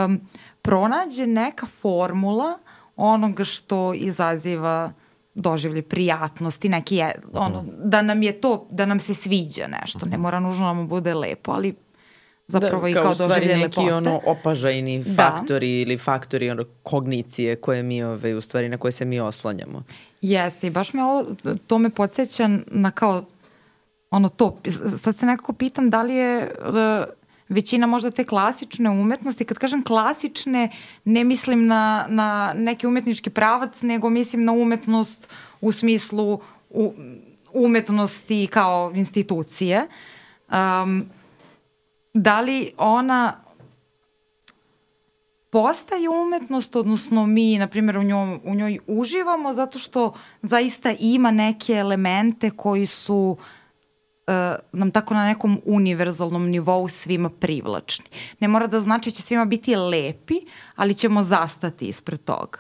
um, pronađe neka formula onoga što izaziva doživlje prijatnosti, neki je, ono, da nam je to, da nam se sviđa nešto, ne mora nužno da nam bude lepo, ali zapravo da, i kao, kao doživlje lepote. Neki ono opažajni faktori da. ili faktori ono, kognicije koje mi, ove, u stvari, na koje se mi oslanjamo. Jeste, i baš me ovo, to me podsjeća na kao, ono to, sad se nekako pitam da li je uh, većina možda te klasične umetnosti, kad kažem klasične, ne mislim na, na neki umetnički pravac, nego mislim na umetnost u smislu u, umetnosti kao institucije. Um, Da li ona postaje umetnost, odnosno mi, na primjer, u, njoj, u njoj uživamo zato što zaista ima neke elemente koji su uh, nam tako na nekom univerzalnom nivou svima privlačni. Ne mora da znači da će svima biti lepi, ali ćemo zastati ispred toga.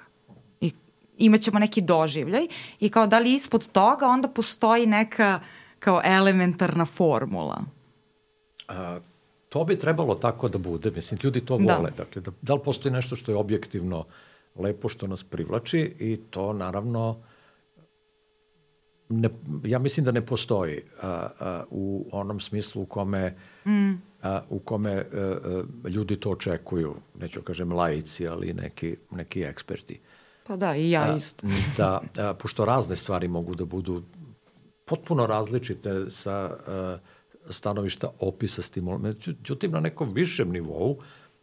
I imaćemo neki doživljaj i kao da li ispod toga onda postoji neka kao elementarna formula. A... To bi trebalo tako da bude, mislim, ljudi to vole. Da. Dakle, da, da li postoji nešto što je objektivno lepo, što nas privlači i to naravno, ne, ja mislim da ne postoji a, a, u onom smislu u kome, mm. a, u kome a, a, ljudi to očekuju, neću kažem laici, ali neki, neki eksperti. Pa da, i ja isto. A, da, a, pošto razne stvari mogu da budu potpuno različite sa... A, stanovišta opisa stimulanta. Međutim, na nekom višem nivou,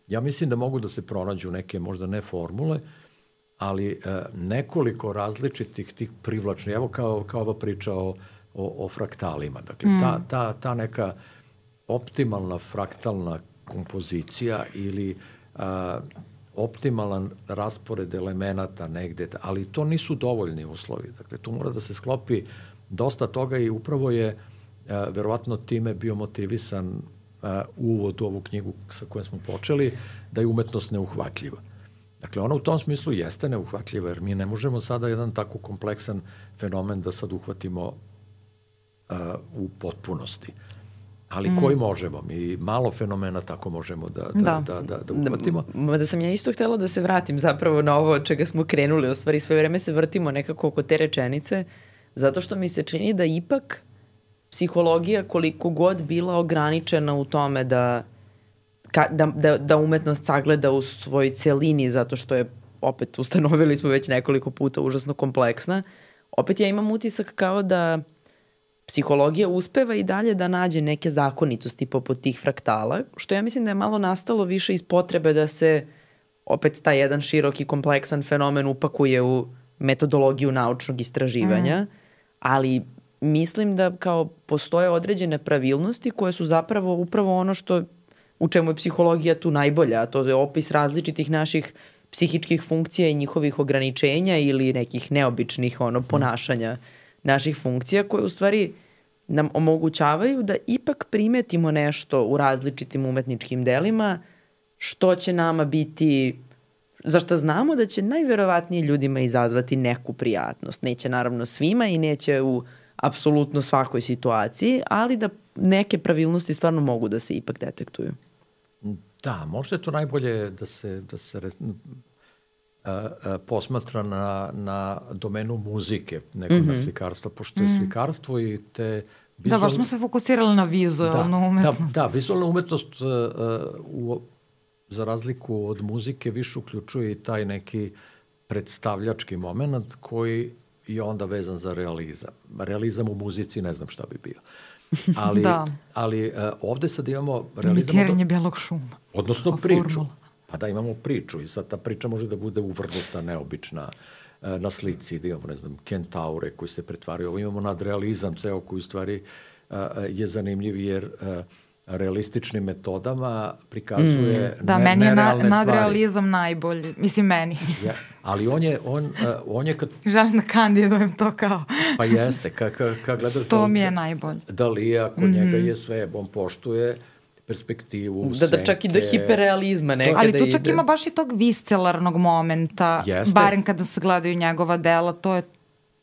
ja mislim da mogu da se pronađu neke, možda ne formule, ali e, nekoliko različitih tih privlačnih, evo kao, kao ova priča o, o, o fraktalima. Dakle, mm. ta, ta, ta neka optimalna fraktalna kompozicija ili a, optimalan raspored elemenata negde, ali to nisu dovoljni uslovi. Dakle, tu mora da se sklopi dosta toga i upravo je Uh, verovatno time bio motivisan uh, uvod u ovu knjigu sa kojom smo počeli, da je umetnost neuhvatljiva. Dakle, ona u tom smislu jeste neuhvatljiva, jer mi ne možemo sada jedan tako kompleksan fenomen da sad uhvatimo uh, u potpunosti. Ali mm. koji možemo? Mi malo fenomena tako možemo da, da, da. da, da, da uhvatimo. Da, da sam ja isto htela da se vratim zapravo na ovo od čega smo krenuli. U stvari sve vreme se vrtimo nekako oko te rečenice, zato što mi se čini da ipak psihologija koliko god bila ograničena u tome da, ka, da, da, da umetnost sagleda u svojoj celini, zato što je, opet ustanovili smo već nekoliko puta, užasno kompleksna, opet ja imam utisak kao da psihologija uspeva i dalje da nađe neke zakonitosti poput tih fraktala, što ja mislim da je malo nastalo više iz potrebe da se opet taj jedan širok i kompleksan fenomen upakuje u metodologiju naučnog istraživanja, mm. ali mislim da kao postoje određene pravilnosti koje su zapravo upravo ono što, u čemu je psihologija tu najbolja, a to je opis različitih naših psihičkih funkcija i njihovih ograničenja ili nekih neobičnih ono, ponašanja naših funkcija koje u stvari nam omogućavaju da ipak primetimo nešto u različitim umetničkim delima što će nama biti, za što znamo da će najverovatnije ljudima izazvati neku prijatnost. Neće naravno svima i neće u apsolutno svakoj situaciji, ali da neke pravilnosti stvarno mogu da se ipak detektuju. Da, možda je to najbolje da se, da se a, a, posmatra na, na domenu muzike, nekog mm-hmm. na slikarstva, pošto je mm-hmm. slikarstvo i te vizualne... Da, baš smo se fokusirali na vizualnu da, umetnost. Da, da, vizualna umetnost a, u, za razliku od muzike više uključuje i taj neki predstavljački moment koji je onda vezan za realizam. Realizam u muzici ne znam šta bi bio. Ali, da. ali uh, ovde sad imamo realizam... Imitiranje belog šuma. Odnosno priču. Formula. Pa da, imamo priču i sad ta priča može da bude uvrnuta, neobična, uh, na slici, da imamo, ne znam, kentaure koji se pretvaraju. Ovo imamo nadrealizam ceo koji u stvari uh, je zanimljiv jer uh, realističnim metodama prikazuje mm. da, ne, meni je na, nerealne nadrealizam stvari. najbolji. Mislim, meni. Ja, ali on je, on, uh, on je kad... Želim da kandidujem to kao... Pa jeste, kad ka, ka gledaš... To mi je najbolje. Dalija, kod mm-hmm. njega je sve, on poštuje perspektivu, da, senke. Da, čak i do hiperrealizma nekada ali tu čak ide. ima baš i tog viscelarnog momenta, Jeste. barem kada se gledaju njegova dela, to je to.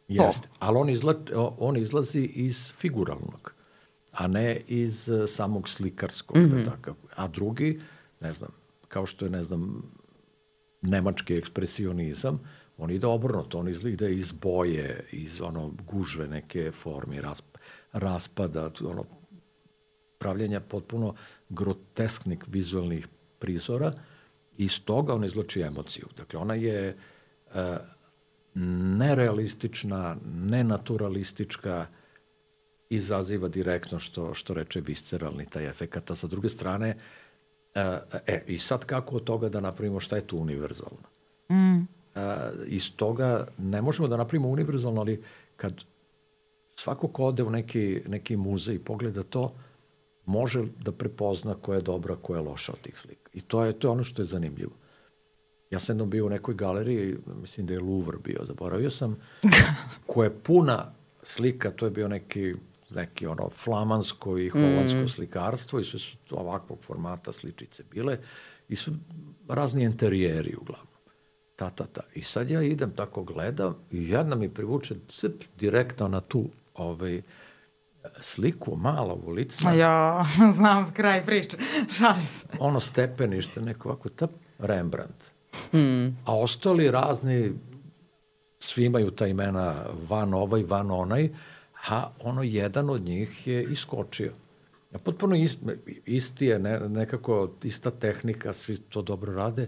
Jeste, ali on, izla, on izlazi iz figuralnog, a ne iz uh, samog slikarskog. Mm-hmm. Da takav. A drugi, ne znam, kao što je, ne znam, nemački ekspresionizam, on ide obrnuto, on ide iz boje, iz ono gužve neke forme, rasp, raspada, ono, pravljenja potpuno grotesknih vizualnih prizora i iz toga on izloči emociju. Dakle, ona je uh, nerealistična, nenaturalistička, izaziva direktno što, što reče visceralni taj efekat. A sa druge strane, uh, e, i sad kako od toga da napravimo šta je tu univerzalno? Mm. Uh, iz toga ne možemo da napravimo univerzalno, ali kad svako ko ode u neki, neki muzej i pogleda to, može da prepozna koja je dobra, koja je loša od tih slika. I to je, to je ono što je zanimljivo. Ja sam jednom bio u nekoj galeriji, mislim da je Louvre bio, zaboravio sam, koja je puna slika, to je bio neki, neki ono flamansko i holandsko mm. slikarstvo i sve su ovakvog formata sličice bile i su razni interijeri uglavnom. Ta, ta, ta. I sad ja idem tako gledam i jedna mi privuče cip, direktno na tu ovaj, sliku, malo ulicna. Ja, znam kraj priče, šalim se. Ono stepenište, neko ovako, tap, Rembrandt. Hmm. A ostali razni, svi imaju ta imena van ovaj, van onaj, a ono jedan od njih je iskočio. Ja, potpuno ist, isti je, ne, nekako ista tehnika, svi to dobro rade,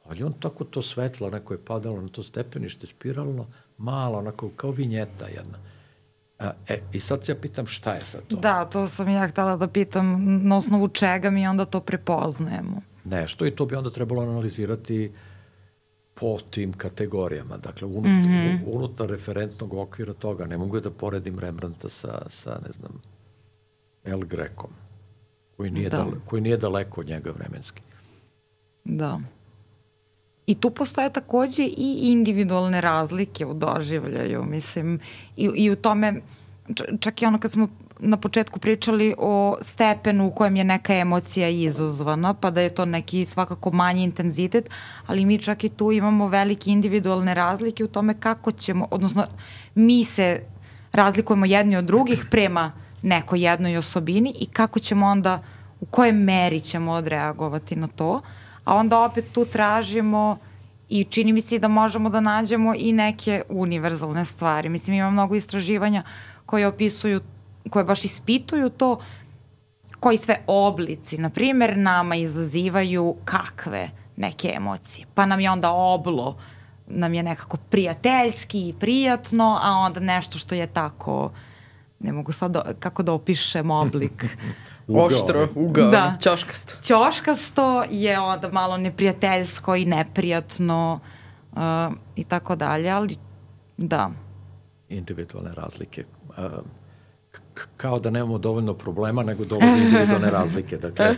ali on tako to svetlo, neko je padalo na to stepenište, spiralno, malo, onako kao vinjeta jedna. A, e, i sad ja pitam šta je sad to? Da, to sam ja htela da pitam na osnovu čega mi onda to prepoznajemo. Nešto i to bi onda trebalo analizirati po tim kategorijama. Dakle, unut, mm-hmm. unutar referentnog okvira toga. Ne mogu da poredim Rembrandta sa, sa ne znam, El Grecom, koji nije, da. dale, koji nije daleko od njega vremenski. Da. I tu postoje takođe i individualne razlike u doživljaju, mislim, i, i u tome, čak i ono kad smo na početku pričali o stepenu u kojem je neka emocija izazvana, pa da je to neki svakako manji intenzitet, ali mi čak i tu imamo velike individualne razlike u tome kako ćemo, odnosno mi se razlikujemo jedni od drugih prema nekoj jednoj osobini i kako ćemo onda, u kojoj meri ćemo odreagovati na to, a onda opet tu tražimo i čini mi se da možemo da nađemo i neke univerzalne stvari. Mislim, ima mnogo istraživanja koje opisuju, koje baš ispituju to koji sve oblici, na primjer, nama izazivaju kakve neke emocije. Pa nam je onda oblo, nam je nekako prijateljski i prijatno, a onda nešto što je tako, ne mogu sad do, kako da opišem oblik. Oštro, ugao, da. Ćoškasto. Ćoškasto je onda malo neprijateljsko i neprijatno uh, i tako dalje, ali da. Individualne razlike. Uh, k- kao da nemamo dovoljno problema, nego dovoljno individualne razlike. Dakle,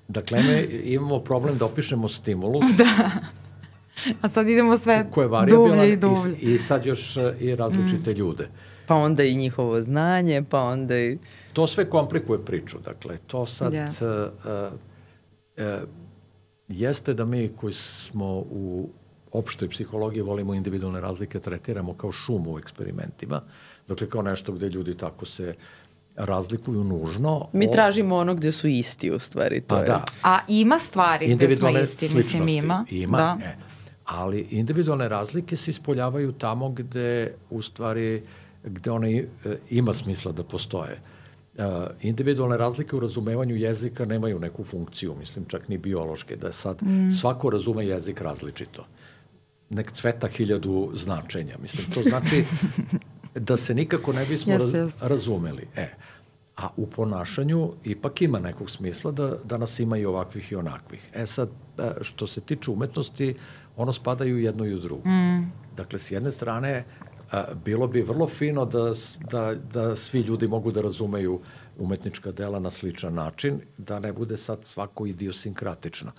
dakle mi imamo problem da opišemo stimulus. Da. A sad idemo sve dublje i dublje. I, I sad još uh, i različite mm. ljude. Pa onda i njihovo znanje, pa onda i... To sve komplikuje priču, dakle, to sad yes. uh, uh, jeste da mi koji smo u opštoj psihologiji volimo individualne razlike, tretiramo kao šumu u eksperimentima, dakle kao nešto gde ljudi tako se razlikuju nužno. Mi o... tražimo ono gde su isti u stvari. To pa je. Da. A ima stvari gde smo isti, mislim ima. Ima, da. e, ali individualne razlike se ispoljavaju tamo gde u stvari gde one ima smisla da postoje. Uh, individualne razlike u razumevanju jezika nemaju neku funkciju, mislim čak ni biološke, da je sad mm. svako razume jezik različito. Nek cveta hiljadu značenja, mislim, to znači da se nikako ne bismo jeste, raz, jeste. razumeli. E, a u ponašanju ipak ima nekog smisla da, da nas ima i ovakvih i onakvih. E sad, što se tiče umetnosti, ono spada i u jedno i u drugo. Mm. Dakle, s jedne strane, a, bilo bi vrlo fino da, da, da svi ljudi mogu da razumeju umetnička dela na sličan način, da ne bude sad svako idiosinkratično.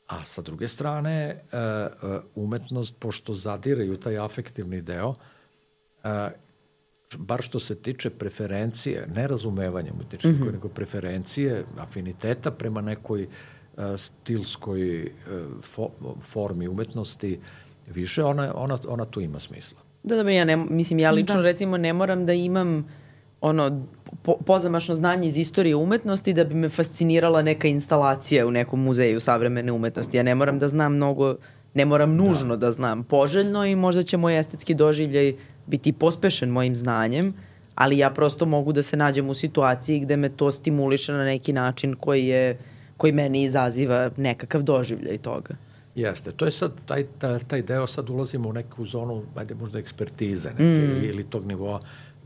A sa druge strane, umetnost, pošto zadireju taj afektivni deo, bar što se tiče preferencije, ne razumevanja umetničke, mm-hmm. nego preferencije, afiniteta prema nekoj stilskoj fo, formi umetnosti, više, ona, ona, ona tu ima smisla. Da, dobro, ja ne, mislim, ja lično da. recimo ne moram da imam ono, po, pozamašno znanje iz istorije umetnosti da bi me fascinirala neka instalacija u nekom muzeju savremene umetnosti. Ja ne moram da znam mnogo, ne moram nužno da, da znam poželjno i možda će moj estetski doživljaj biti pospešen mojim znanjem, ali ja prosto mogu da se nađem u situaciji gde me to stimuliše na neki način koji, je, koji meni izaziva nekakav doživljaj toga. Jeste, to je sad, taj, taj, taj deo sad ulazimo u neku zonu, ajde možda ekspertize neke, mm. ili, ili tog nivoa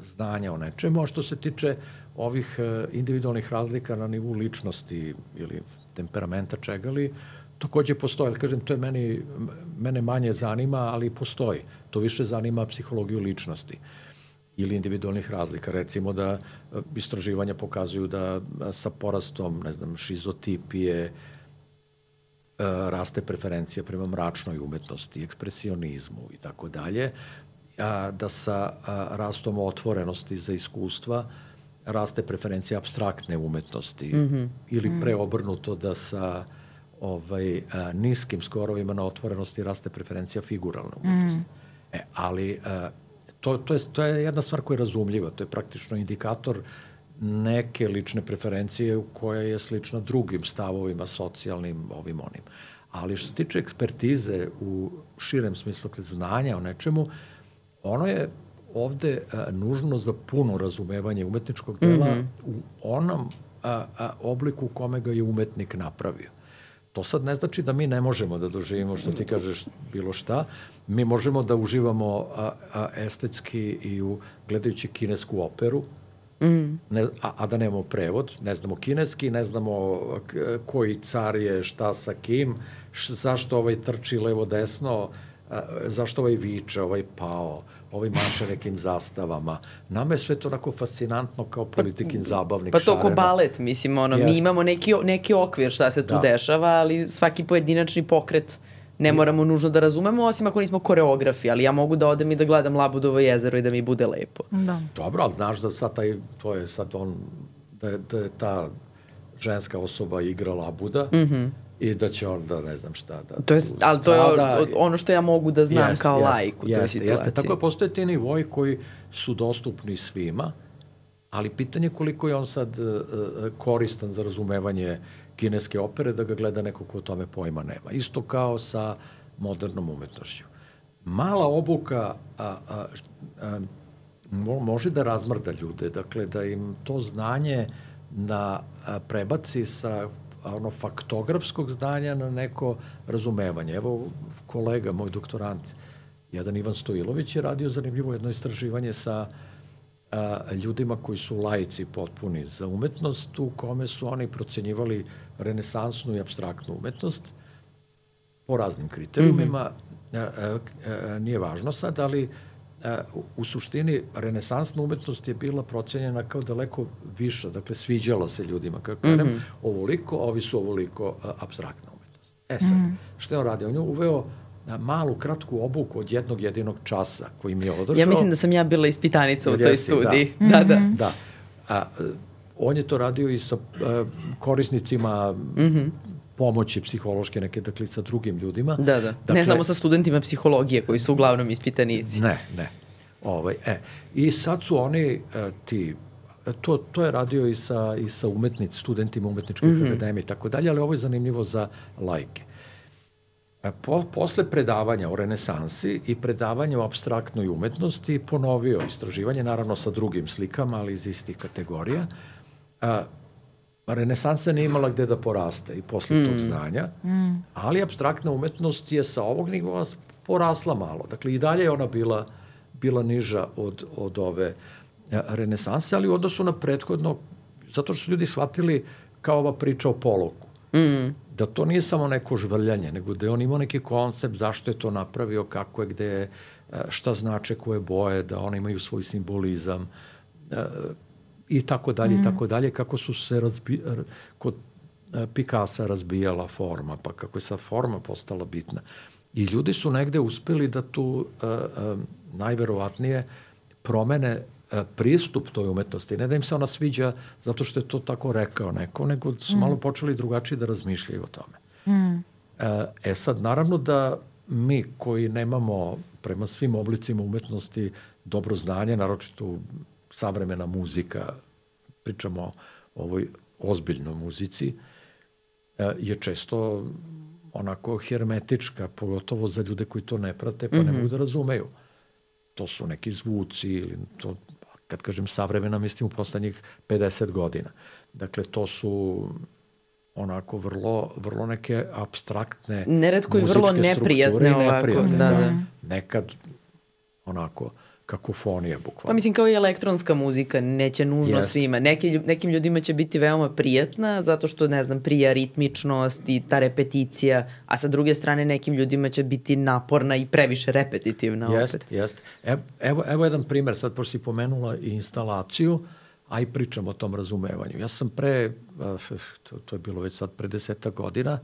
znanja o nečemu, a što se tiče ovih uh, individualnih razlika na nivou ličnosti ili temperamenta čega li, takođe postoji, ali kažem, to je meni, mene manje zanima, ali postoji. To više zanima psihologiju ličnosti ili individualnih razlika. Recimo da uh, istraživanja pokazuju da uh, sa porastom, ne znam, šizotipije, raste preferencija prema mračnoj umetnosti, ekspresionizmu i tako dalje, da sa rastom otvorenosti za iskustva raste preferencija apstraktne umetnosti mm-hmm. ili preobrnuto da sa ovaj, a, niskim skorovima na otvorenosti raste preferencija figuralne umetnosti. Mm. E, ali a, to, to, je, to je jedna stvar koja je razumljiva, to je praktično indikator neke lične preferencije koja je slična drugim stavovima, socijalnim, ovim onim. Ali što se tiče ekspertize u širem smislu znanja o nečemu, ono je ovde a, nužno za puno razumevanje umetničkog dela mm-hmm. u onom a, a, obliku u kome ga je umetnik napravio. To sad ne znači da mi ne možemo da doživimo, što ti kažeš, bilo šta. Mi možemo da uživamo a, a, estetski i u gledajući kinesku operu, Mm. Ne, a, a da nemamo prevod, ne znamo kineski, ne znamo k, koji car je šta sa kim, š, zašto ovaj trči levo-desno, a, zašto ovaj viče, ovaj pao, ovaj maše nekim zastavama. Nama je sve to onako fascinantno kao politikin pa, zabavnik. Pa to ko balet, mislim, ono, mi imamo neki, neki okvir šta se tu da. dešava, ali svaki pojedinačni pokret ne moramo nužno da razumemo, osim ako nismo koreografi, ali ja mogu da odem i da gledam Labudovo jezero i da mi bude lepo. Da. Dobro, ali znaš da sad taj, to je sad on, da je, da je ta ženska osoba igra Labuda mm-hmm. i da će on da ne znam šta da... To je, ali to je ono što ja mogu da znam jest, kao jest, laik u toj jeste, situaciji. Jeste, tako je, postoje ti nivoji koji su dostupni svima, ali pitanje koliko je on sad uh, koristan za razumevanje kineske opere, da ga gleda neko ko o tome pojma nema. Isto kao sa modernom umetnošću. Mala obuka a, a, a, može da razmrda ljude, dakle da im to znanje na, a, prebaci sa a, ono faktografskog znanja na neko razumevanje. Evo kolega, moj doktorant, jedan Ivan Stojilović je radio zanimljivo jedno istraživanje sa a, ljudima koji su laici potpuni za umetnost, u kome su oni procenjivali renesansnu i apstraktnu umetnost po raznim kriterijumima. Mm-hmm. a, a, a, nije važno sad, ali a, u, u suštini renesansna umetnost je bila procenjena kao daleko viša, dakle sviđala se ljudima. Kako kažem, mm-hmm. ovoliko, ovi su ovoliko a, apstraktna umetnost. E sad, mm-hmm. što je on radio? On je uveo malu, kratku obuku od jednog jedinog časa koji mi je održao. Ja mislim da sam ja bila ispitanica u toj studiji. Da, da. da. da. A, on je to radio i sa a, korisnicima mm-hmm. pomoći psihološke neke, dakle, sa drugim ljudima. Da, da. Dakle, ne samo sa studentima psihologije koji su uglavnom ispitanici. Ne, ne. Ovaj, e. I sad su oni a, ti, to, to je radio i sa, i sa umetnici, studentima umetničkih mm-hmm. akademije i tako dalje, ali ovo je zanimljivo za laike. Po, posle predavanja o renesansi i predavanja o apstraktnoj umetnosti ponovio istraživanje, naravno sa drugim slikama, ali iz istih kategorija. A, renesansa nije imala gde da poraste i posle mm. tog znanja, mm. ali apstraktna umetnost je sa ovog nivoa porasla malo. Dakle, i dalje je ona bila, bila niža od, od ove a, renesanse, ali u odnosu na prethodno, zato što su ljudi shvatili kao ova priča o Poloku. Mm. Da to nije samo neko žvrljanje, nego da je on imao neki koncept zašto je to napravio, kako je, gde je, šta znače koje boje, da one imaju svoj simbolizam i tako dalje i tako dalje, kako su se razbi, kod Picassa razbijala forma, pa kako je sa forma postala bitna. I ljudi su negde uspeli da tu uh, uh, najverovatnije promene uh, pristup toj umetnosti. Ne da im se ona sviđa zato što je to tako rekao neko, nego su mm. malo počeli drugačije da razmišljaju o tome. Mm. Uh, e sad, naravno da mi koji nemamo prema svim oblicima umetnosti dobro znanje, naročito savremena muzika, pričamo o ovoj ozbiljnoj muzici, je često onako hermetička, pogotovo za ljude koji to ne prate, pa mm-hmm. ne mogu da razumeju. To su neki zvuci, ili to, kad kažem savremena, mislim u poslednjih pedeset godina. Dakle, to su onako vrlo, vrlo neke apstraktne neretko i vrlo neprijatne ovako. Neprijatne, da, da. da. Nekad onako kakofonija bukvalno. Pa mislim kao i elektronska muzika, neće nužno yes. svima. Neki, nekim ljudima će biti veoma prijatna zato što, ne znam, prija ritmičnost i ta repeticija, a sa druge strane nekim ljudima će biti naporna i previše repetitivna jest, opet. Jeste, jeste. Evo, evo jedan primer, sad pošto si pomenula i instalaciju, a i pričam o tom razumevanju. Ja sam pre, to, to je bilo već sad pre deseta godina,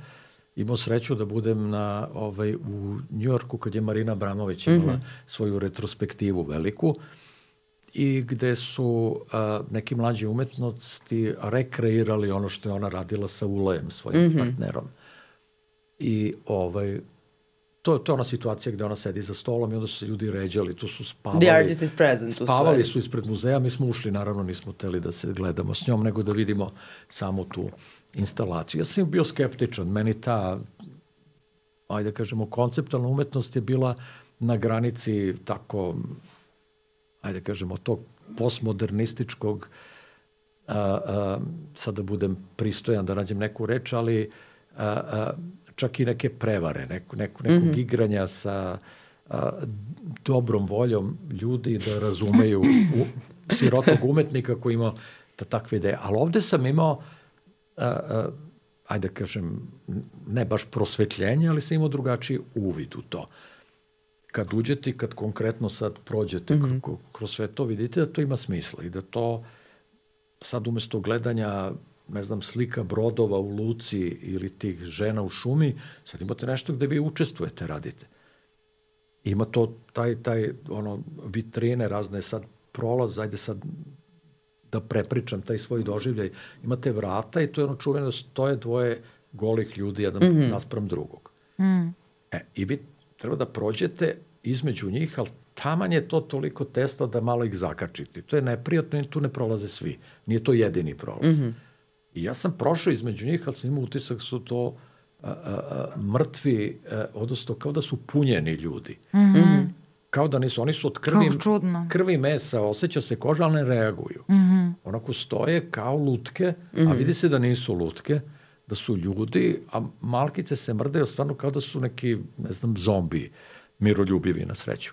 imao sreću da budem na, ovaj, u Njujorku kad je Marina Abramović imala mm-hmm. svoju retrospektivu veliku i gde su a, neki mlađi umetnosti rekreirali ono što je ona radila sa Ulajem, svojim mm-hmm. partnerom. I ovaj, to, to je ona situacija gde ona sedi za stolom i onda su se ljudi ređali, tu su spavali. The artist is present. Spavali su ispred muzeja, mi smo ušli, naravno nismo hteli da se gledamo s njom, nego da vidimo samo tu instalaciju. Ja sam bio skeptičan, meni ta, ajde da kažemo, konceptualna umetnost je bila na granici tako, ajde da kažemo, tog postmodernističkog, a, a, sad da budem pristojan, da nađem neku reč, ali a, a, čak i neke prevare, neku, neku, nekog mm-hmm. igranja sa a, dobrom voljom ljudi da razumeju u, sirotog umetnika koji ima ta, takve ideje. Ali ovde sam imao Uh, uh, ajde da kažem, ne baš prosvetljenje, ali sam imao drugačiji uvid u to. Kad uđete i kad konkretno sad prođete mm-hmm. k- kroz sve to, vidite da to ima smisla i da to sad umesto gledanja, ne znam, slika brodova u luci ili tih žena u šumi, sad imate nešto gde vi učestvujete, radite. Ima to, taj, taj, ono, vitrine razne, sad prolaz, ajde sad da prepričam taj svoj doživljaj, imate vrata i to je ono čuveno, stoje dvoje golih ljudi, jedan mm-hmm. naspram drugog. Mm. E, i vi treba da prođete između njih, ali taman je to toliko tesno da malo ih zakačite. To je neprijatno i tu ne prolaze svi. Nije to jedini prolaz. Mm-hmm. I ja sam prošao između njih, ali sam imao utisak su to a, a, a, mrtvi, a, odnosno kao da su punjeni ljudi. Mm-hmm. Kao da nisu, oni su od krvi, krvi mesa, osjeća se koža, ali ne reaguju. Mm-hmm. Onako stoje kao lutke, mm-hmm. a vidi se da nisu lutke, da su ljudi, a malkice se mrdaju stvarno kao da su neki, ne znam, zombi, miroljubivi na sreću.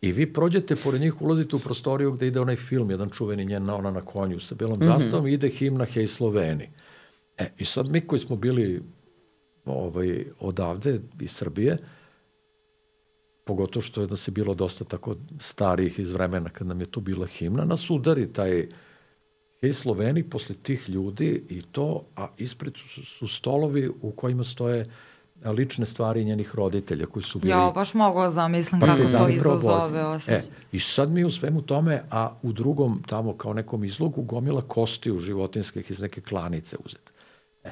I vi prođete pored njih, ulazite u prostoriju gde ide onaj film, jedan čuveni njen, ona na konju sa belom mm-hmm. zastavom, ide himna Hej Sloveni. E, i sad mi koji smo bili ovaj, odavde, iz Srbije, pogotovo što je da se bilo dosta tako starijih iz vremena kad nam je tu bila himna, nas udari taj Hej Sloveni posle tih ljudi i to, a ispred su, su stolovi u kojima stoje lične stvari njenih roditelja koji su bili... Ja, baš mogu da zamislim kako to izazove osjećaj. E, i sad mi u svemu tome, a u drugom tamo kao nekom izlogu gomila kostiju životinskih iz neke klanice uzete. E,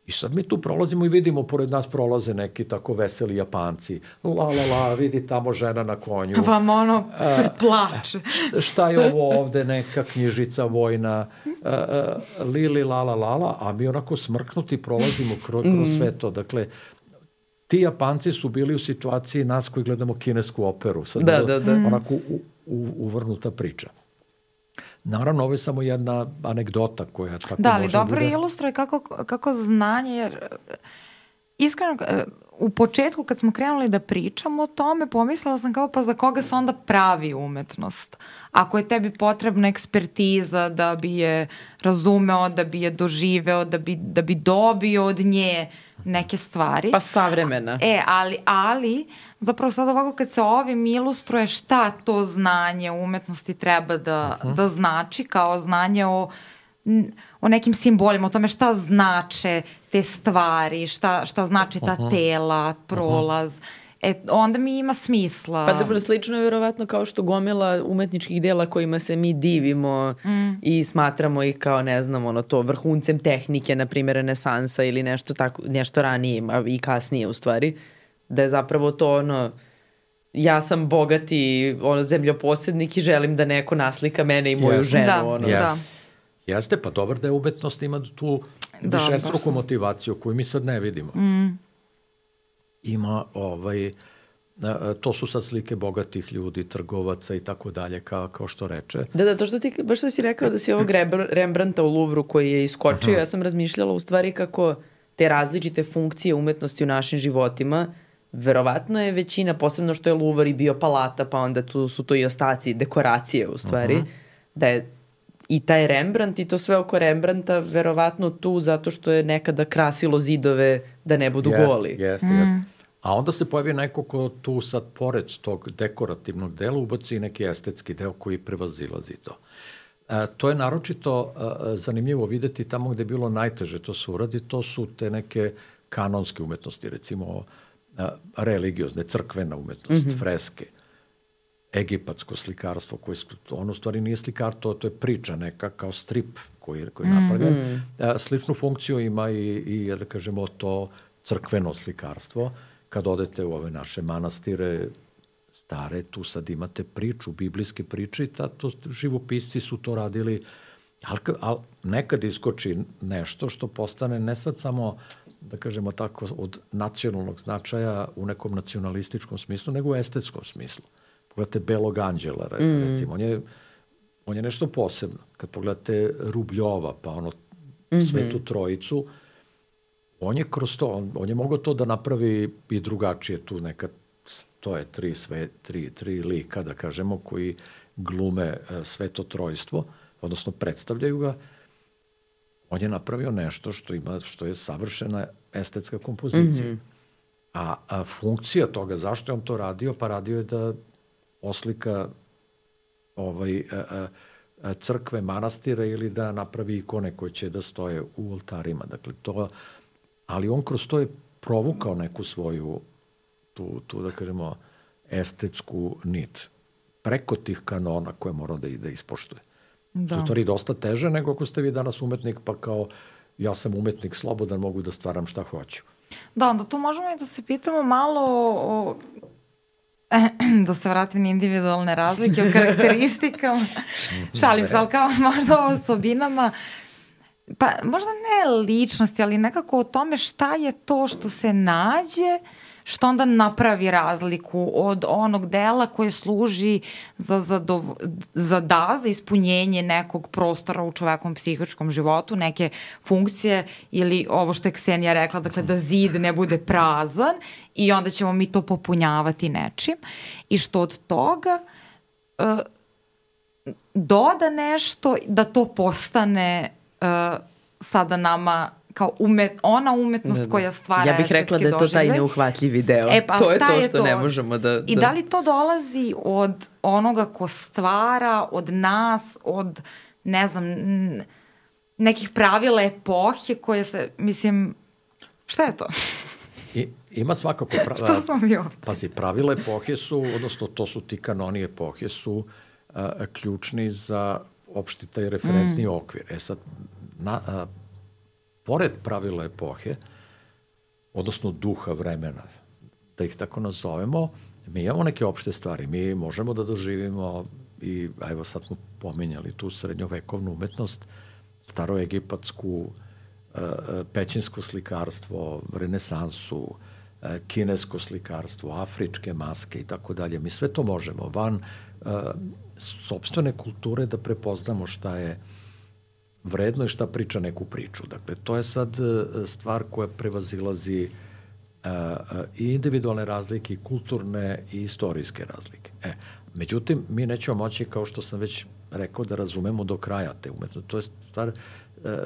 i sad mi tu prolazimo i vidimo, pored nas prolaze neki tako veseli Japanci. La, la, la, vidi tamo žena na konju. Vam ono se plače. Šta, šta je ovo ovde, neka knjižica vojna, a, a, lili, la, la, la, la, a mi onako smrknuti prolazimo kroz, kroz sve to. Dakle, ti Japanci su bili u situaciji nas koji gledamo kinesku operu. Sad da, da, da. Onako u, u, uvrnuta priča. Naravno, ovo je samo jedna anegdota koja tako da, može ali dobro bude... ilustruje kako, kako znanje, jer iskreno, u početku kad smo krenuli da pričamo o tome, pomislila sam kao pa za koga se onda pravi umetnost? Ako je tebi potrebna ekspertiza da bi je razumeo, da bi je doživeo, da bi, da bi dobio od nje neke stvari. Pa savremena. E, ali, ali zapravo sad ovako kad se ovim ilustruje šta to znanje umetnosti treba da, uh-huh. da znači kao znanje o o nekim simbolima, o tome šta znače te stvari, šta, šta znači ta uh-huh. tela, prolaz. Uh-huh. E, onda mi ima smisla. Pa dobro, slično je verovatno kao što gomila umetničkih dela kojima se mi divimo mm. i smatramo ih kao, ne znam, ono to vrhuncem tehnike, na primjer renesansa ili nešto, tako, nešto ranije i kasnije u stvari, da je zapravo to ono, ja sam bogati ono, zemljoposednik i želim da neko naslika mene i moju yes. ženu. Da, ono. yes. da. Jeste, pa dobar da je umetnost ima tu da, višestruku motivaciju koju mi sad ne vidimo. Mm. Ima, ovaj, to su sad slike bogatih ljudi, trgovaca i tako dalje, kao, kao što reče. Da, da, to što ti, baš što si rekao da si ovog Rembrandta u Louvru koji je iskočio, aha. ja sam razmišljala u stvari kako te različite funkcije umetnosti u našim životima, verovatno je većina, posebno što je Louvre i bio palata, pa onda tu su to i ostaci, dekoracije u stvari, aha. da je i taj Rembrandt i to sve oko Rembrandta verovatno tu zato što je nekada krasilo zidove da ne budu jest, goli. Jeste, mm. jeste. A onda se pojavi neko ko tu sad pored tog dekorativnog dela ubaci neki estetski deo koji prevazilazi to. E, to je naročito e, zanimljivo videti tamo gde je bilo najteže to se uradi, to su te neke kanonske umetnosti, recimo e, religiozne, crkvena umetnost, mm-hmm. freske, egipatsko slikarstvo, koje ono stvari nije slikar, to, to je priča neka kao strip koji, koji je napravljen. Mm. E, sličnu funkciju ima i, i, da kažemo, to crkveno slikarstvo. Kad odete u ove naše manastire stare, tu sad imate priču, biblijske priče i tato živopisci su to radili, ali, ali nekad iskoči nešto što postane ne sad samo, da kažemo tako, od nacionalnog značaja u nekom nacionalističkom smislu, nego u estetskom smislu. Pogledate Belog anđela, recimo, mm. on, je, on je nešto posebno. Kad pogledate Rubljova, pa ono mm-hmm. Svetu Trojicu, on je kroz to, on, on je mogao to da napravi i drugačije tu neka, to je tri, sve, tri, tri lika, da kažemo, koji glume uh, Sveto Trojstvo, odnosno predstavljaju ga. On je napravio nešto što ima, što je savršena estetska kompozicija. Mm-hmm. A, a funkcija toga, zašto je on to radio? Pa radio je da oslika ovaj, a, a, crkve, manastira ili da napravi ikone koje će da stoje u oltarima. Dakle, to, ali on kroz to je provukao neku svoju, tu, tu da kažemo, estetsku nit. Preko tih kanona koje mora da ide ispoštuje. Da. Su stvari dosta teže nego ako ste vi danas umetnik, pa kao ja sam umetnik slobodan, mogu da stvaram šta hoću. Da, onda tu možemo i da se pitamo malo o, da se vratim na individualne razlike, o karakteristikama. Šalim se, ali kao možda o osobinama. Pa možda ne ličnosti, ali nekako o tome šta je to što se nađe, što onda napravi razliku od onog dela koje služi za, zadov... za da, za ispunjenje nekog prostora u čovekom psihičkom životu, neke funkcije ili ovo što je Ksenija rekla, dakle da zid ne bude prazan i onda ćemo mi to popunjavati nečim i što od toga uh, doda nešto da to postane uh, sada nama kao umet, ona umetnost da, da. koja stvara estetski doživljaj. Ja bih rekla da je to taj neuhvatljivi deo. E, pa, to je to što je to? Ne možemo da, da... I da li to dolazi od onoga ko stvara, od nas, od, ne znam, nekih pravila epohe koje se, mislim, šta je to? I, ima svakako... Pra... Što smo mi ovdje? Pazi, pravila epohe su, odnosno to su ti kanoni epohe, su a, a, ključni za opšti taj referentni mm. okvir. E sad, na... A, pored pravila epohe, odnosno duha vremena, da ih tako nazovemo, mi imamo neke opšte stvari. Mi možemo da doživimo i, evo sad smo pominjali tu srednjovekovnu umetnost, staroegipatsku, pećinsko slikarstvo, renesansu, kinesko slikarstvo, afričke maske i tako dalje. Mi sve to možemo van sopstvene kulture da prepoznamo šta je vredno i šta priča neku priču. Dakle, to je sad stvar koja prevazilazi i individualne razlike, i kulturne, i istorijske razlike. E, međutim, mi nećemo moći, kao što sam već rekao, da razumemo do kraja te umetnosti. To je stvar,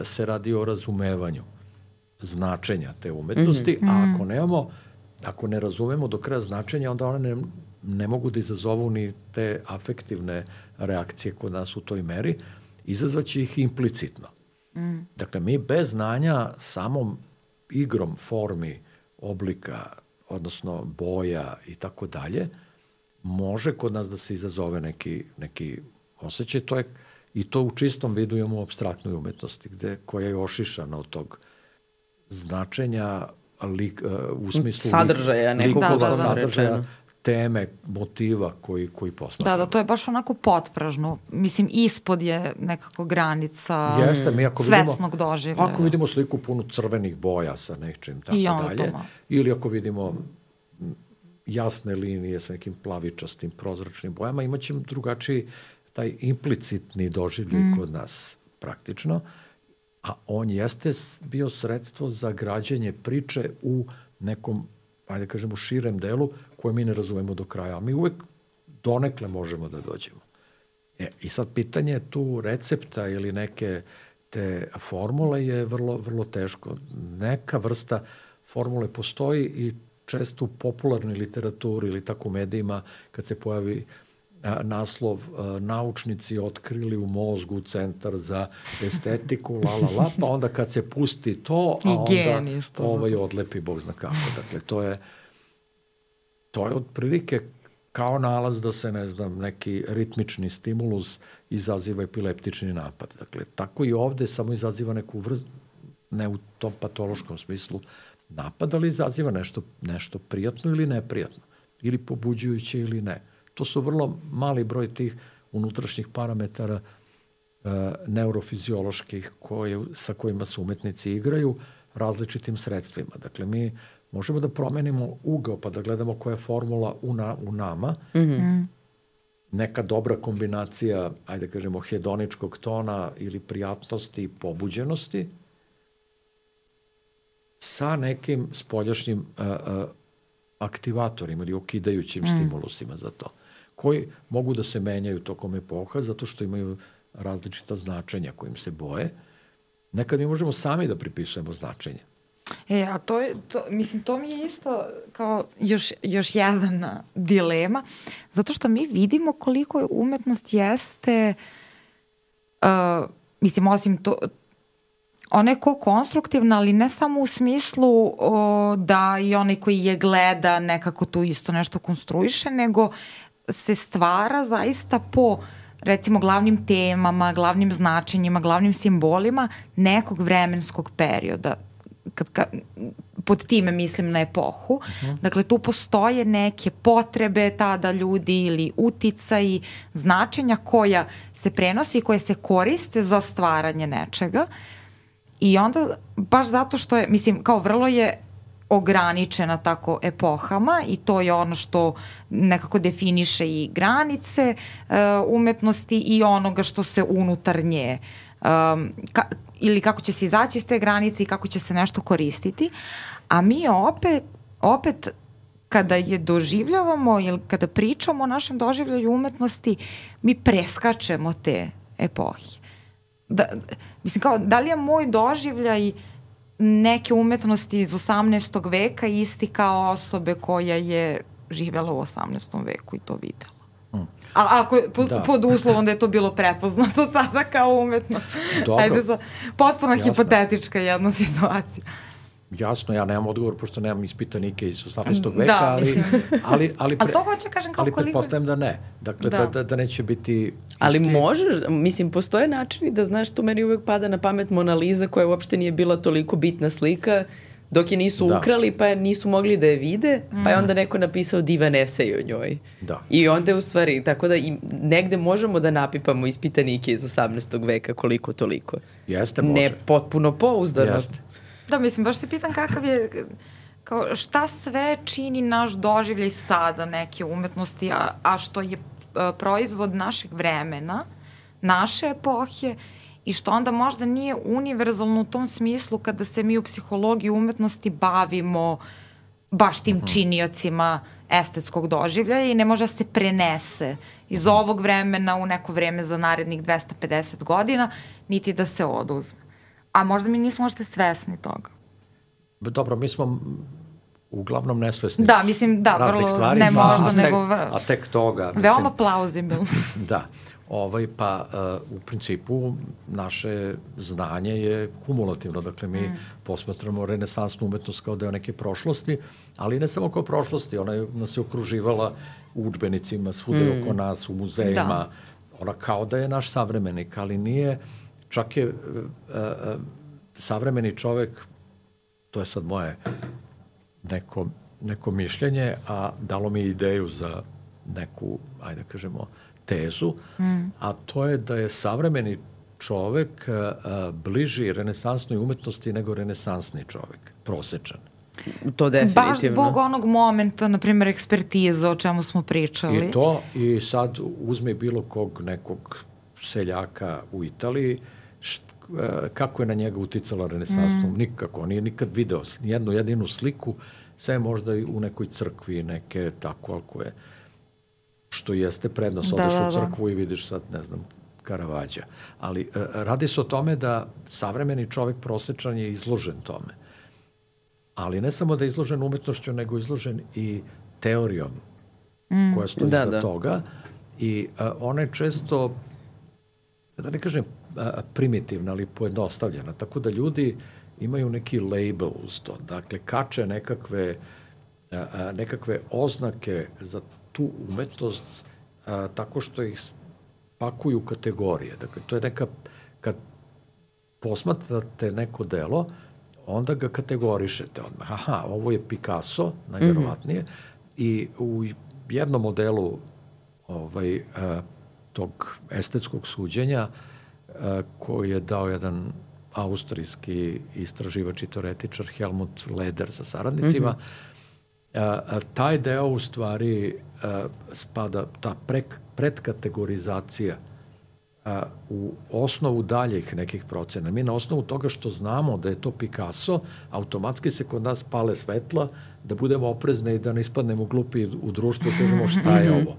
se radi o razumevanju značenja te umetnosti, mm-hmm. a ako nemamo, ako ne razumemo do kraja značenja, onda one ne, ne mogu da izazovu ni te afektivne reakcije kod nas u toj meri, izazvaće ih implicitno. Mm. Dakle, mi bez znanja samom igrom formi, oblika, odnosno boja i tako dalje, može kod nas da se izazove neki, neki osjećaj. To je, i to u čistom vidu imamo u apstraktnoj umetnosti, gde, koja je ošišana od tog značenja lik, uh, u smislu sadržaja, lik, nekog likova, da, da, sadržaja, teme, motiva koji, koji posmatramo. Da, da, to je baš onako potpražno. Mislim, ispod je nekako granica Jeste, mi ako svesnog vidimo, doživljaja. Ako vidimo sliku punu crvenih boja sa nečim, tako dalje, ili ako vidimo jasne linije sa nekim plavičastim, prozračnim bojama, imat ćemo drugačiji taj implicitni doživljaj mm. kod nas praktično, a on jeste bio sredstvo za građenje priče u nekom, ajde kažemo, širem delu koje mi ne razumemo do kraja. A mi uvek donekle možemo da dođemo. E, i sad pitanje tu recepta ili neke te formule je vrlo, vrlo teško. Neka vrsta formule postoji i često u popularnoj literaturi ili tako u medijima kad se pojavi a, naslov a, naučnici otkrili u mozgu centar za estetiku, la, la, la, pa onda kad se pusti to, a onda ovaj odlepi Bog zna kako. Dakle, to je to je otprilike kao nalaz da se, ne znam, neki ritmični stimulus izaziva epileptični napad. Dakle, tako i ovde samo izaziva neku vrstu, ne u tom patološkom smislu napad, ali izaziva nešto, nešto prijatno ili neprijatno, ili pobuđujuće ili ne. To su vrlo mali broj tih unutrašnjih parametara e, neurofizioloških koje, sa kojima se umetnici igraju različitim sredstvima. Dakle, mi možemo da promenimo ugao pa da gledamo koja je formula u, na, u nama. Mm-hmm. Neka dobra kombinacija, ajde kažemo, hedoničkog tona ili prijatnosti i pobuđenosti sa nekim spoljašnjim uh, uh, aktivatorima ili okidajućim mm. stimulusima za to, koji mogu da se menjaju tokom epoha zato što imaju različita značenja kojim se boje. Nekad mi možemo sami da pripisujemo značenje. E, a to je, to, mislim, to mi je isto kao još, još jedna dilema, zato što mi vidimo koliko umetnost jeste, uh, mislim, osim to, ona je ko konstruktivna, ali ne samo u smislu o, da i onaj koji je gleda nekako tu isto nešto konstruiše, nego se stvara zaista po, recimo, glavnim temama, glavnim značenjima, glavnim simbolima nekog vremenskog perioda. Kad, kad, pod time mislim na epohu. Uh-huh. Dakle, tu postoje neke potrebe tada ljudi ili uticaji, značenja koja se prenosi i koje se koriste za stvaranje nečega. I onda, baš zato što je, mislim, kao vrlo je ograničena tako epohama i to je ono što nekako definiše i granice uh, umetnosti i onoga što se unutar nje um, ka, ili kako će se izaći iz te granice i kako će se nešto koristiti. A mi opet, opet kada je doživljavamo ili kada pričamo o našem doživljaju umetnosti, mi preskačemo te epohe. Da, mislim, kao, da li je moj doživljaj neke umetnosti iz osamnaestog veka isti kao osobe koja je živjela u osamnaestom veku i to videla? Mm. A ako po, da. pod uslovom da je to bilo prepoznato tada kao umetnost. Dobro. Ajde, za, potpuno Jasno. Hipotetička jedna situacija. Jasno, ja nemam odgovor, pošto nemam ispitanike iz osamnaestog veka, da, ali, ali, ali, pre, ali to hoće kažem kao ali koliko... pretpostavljam da ne. Dakle, da, da, da neće biti... Isti... Ali možeš, mislim, postoje načini da, znaš, tu meni uvek pada na pamet Mona Lisa, koja uopšte nije bila toliko bitna slika, dok je nisu da. ukrali, pa je nisu mogli da je vide, mm. pa je onda neko napisao divan esej o njoj. Da. I onda je u stvari, tako da i negde možemo da napipamo ispitanike iz osamnaestog veka koliko toliko. Jeste, može. Ne potpuno pouzdano. Jeste. Da, mislim, baš se pitam kakav je, kao šta sve čini naš doživljaj sada neke umetnosti, a, a što je a, proizvod našeg vremena, naše epohe i što onda možda nije univerzalno u tom smislu kada se mi u psihologiji umetnosti bavimo baš tim činiocima estetskog doživljaja i ne može da se prenese iz ovog vremena u neko vreme za narednih dvesta pedeset godina, niti da se oduzme. A možda mi nismo možda svesni toga. Dobro, mi smo uglavnom nesvesni. Da, mislim, da, raznih vrlo, stvari, ne pa, možda, a nego... Tek, a tek toga. Mislim, veoma plauzibilno. Da. Ovaj, pa uh, u principu naše znanje je kumulativno, dakle mi mm. posmatramo renesansnu umetnost kao deo neke prošlosti, ali ne samo kao prošlosti, ona je, nas je okruživala u udžbenicima, svude mm. oko nas, u muzejima, da. Ona kao da je naš savremenik, ali nije, čak je uh, uh, savremeni čovek, to je sad moje neko, neko mišljenje, a dalo mi ideju za neku, ajde kažemo, tezu, mm. a to je da je savremeni čovek a, a, bliži renesansnoj umetnosti nego renesansni čovek, prosečan. To definitivno. Baš zbog onog momenta, na primjer, ekspertize o čemu smo pričali. I to, i sad uzme bilo kog nekog seljaka u Italiji, št, a, kako je na njega uticala renesansna, mm. nikako, nije nikad video nijednu jedinu sliku, sve možda i u nekoj crkvi, neke tako, ali koje što jeste prednost, odeš da, u crkvu i vidiš sad, ne znam, Karavađa. Ali uh, radi se o tome da savremeni čovek prosečan je izložen tome. Ali ne samo da je izložen umetnošću, nego izložen i teorijom mm. koja stoji da, za da. toga. I uh, ona je često, da ne kažem uh, primitivna, ali pojednostavljena. Tako da ljudi imaju neki label uz to. Dakle, kače nekakve, uh, uh, nekakve oznake za tu umetnost a, tako što ih pakuju u kategorije. Dakle, to je neka, kad posmatrate neko delo, onda ga kategorišete odmah. Aha, ovo je Picasso, najverovatnije, mm-hmm. i u jednom modelu ovaj, a, tog estetskog suđenja a, koji je dao jedan austrijski istraživač i teoretičar Helmut Leder sa saradnicima, mm-hmm. A, a, taj deo u stvari a, spada, ta pre, predkategorizacija a, u osnovu daljih nekih procena. Mi na osnovu toga što znamo da je to Picasso, automatski se kod nas pale svetla da budemo oprezni i da ne ispadnemo glupi u društvu i kažemo šta je ovo.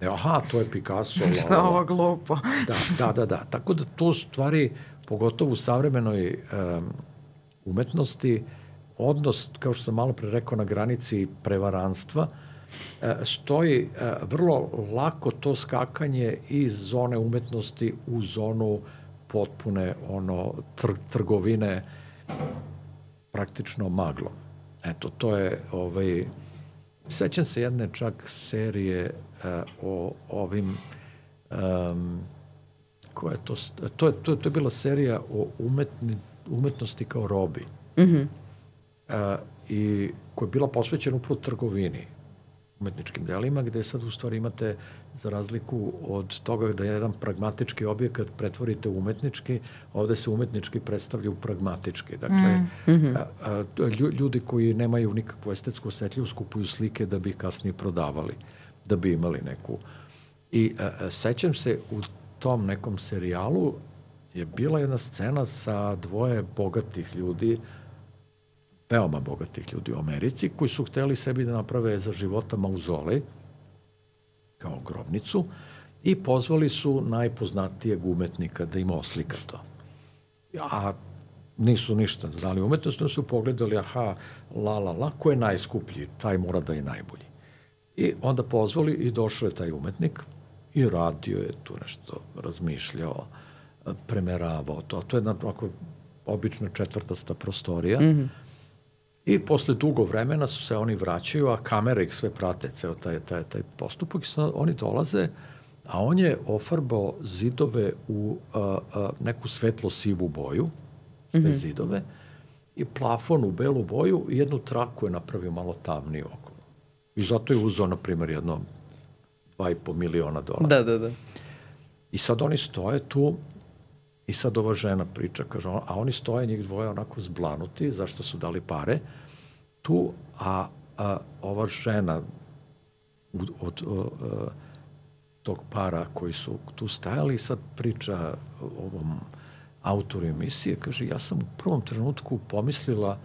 Ne, aha, to je Picasso. Šta je ovo glupo? Da, da, da, da. Tako da to stvari, pogotovo u savremenoj um, umetnosti, odnos, kao što sam malo pre rekao, na granici prevaranstva, stoji vrlo lako to skakanje iz zone umetnosti u zonu potpune ono, tr- trgovine praktično maglom. Eto, to je ovaj, sećam se jedne čak serije uh, o ovim um, koja je to, to je, to, to je bila serija o umetni, umetnosti kao robi. Mhm. Uh, i koja je bila posvećena upravo trgovini, umetničkim delima, gde sad u stvari imate, za razliku od toga da je jedan pragmatički objekat pretvorite u umetnički, ovde se umetnički predstavlja u pragmatički. Dakle, mm-hmm. a, a, ljudi koji nemaju nikakvu estetsku osetljivost kupuju slike da bi ih kasnije prodavali, da bi imali neku. I a, a, sećam se, u tom nekom serijalu je bila jedna scena sa dvoje bogatih ljudi, veoma bogatih ljudi u Americi, koji su hteli sebi da naprave za života mauzolej, kao grobnicu, i pozvali su najpoznatijeg umetnika da im oslika to. A nisu ništa znali umetnost, su pogledali, aha, la, la, la, ko je najskuplji, taj mora da je najbolji. I onda pozvali i došao je taj umetnik i radio je tu nešto, razmišljao, premeravao to. To je jedna ovako obična četvrtasta prostorija. Mm-hmm. I posle dugo vremena su se oni vraćaju, a kamere ih sve prate, ceo taj, taj, taj postupak, i oni dolaze, a on je ofarbao zidove u a, a, neku svetlo-sivu boju, sve mm-hmm. zidove, i plafon u belu boju, i jednu traku je napravio malo tamniju okolo. I zato je uzao, na primjer, jedno dva i po miliona dolara. Da, da, da. I sad oni stoje tu, i sad ova žena priča, kaže, a oni stoje, njih dvoje onako zblanuti, zašto su dali pare, tu, a, a ova žena od, od, od tog para koji su tu stajali, sad priča ovom autoru emisije, kaže, ja sam u prvom trenutku pomislila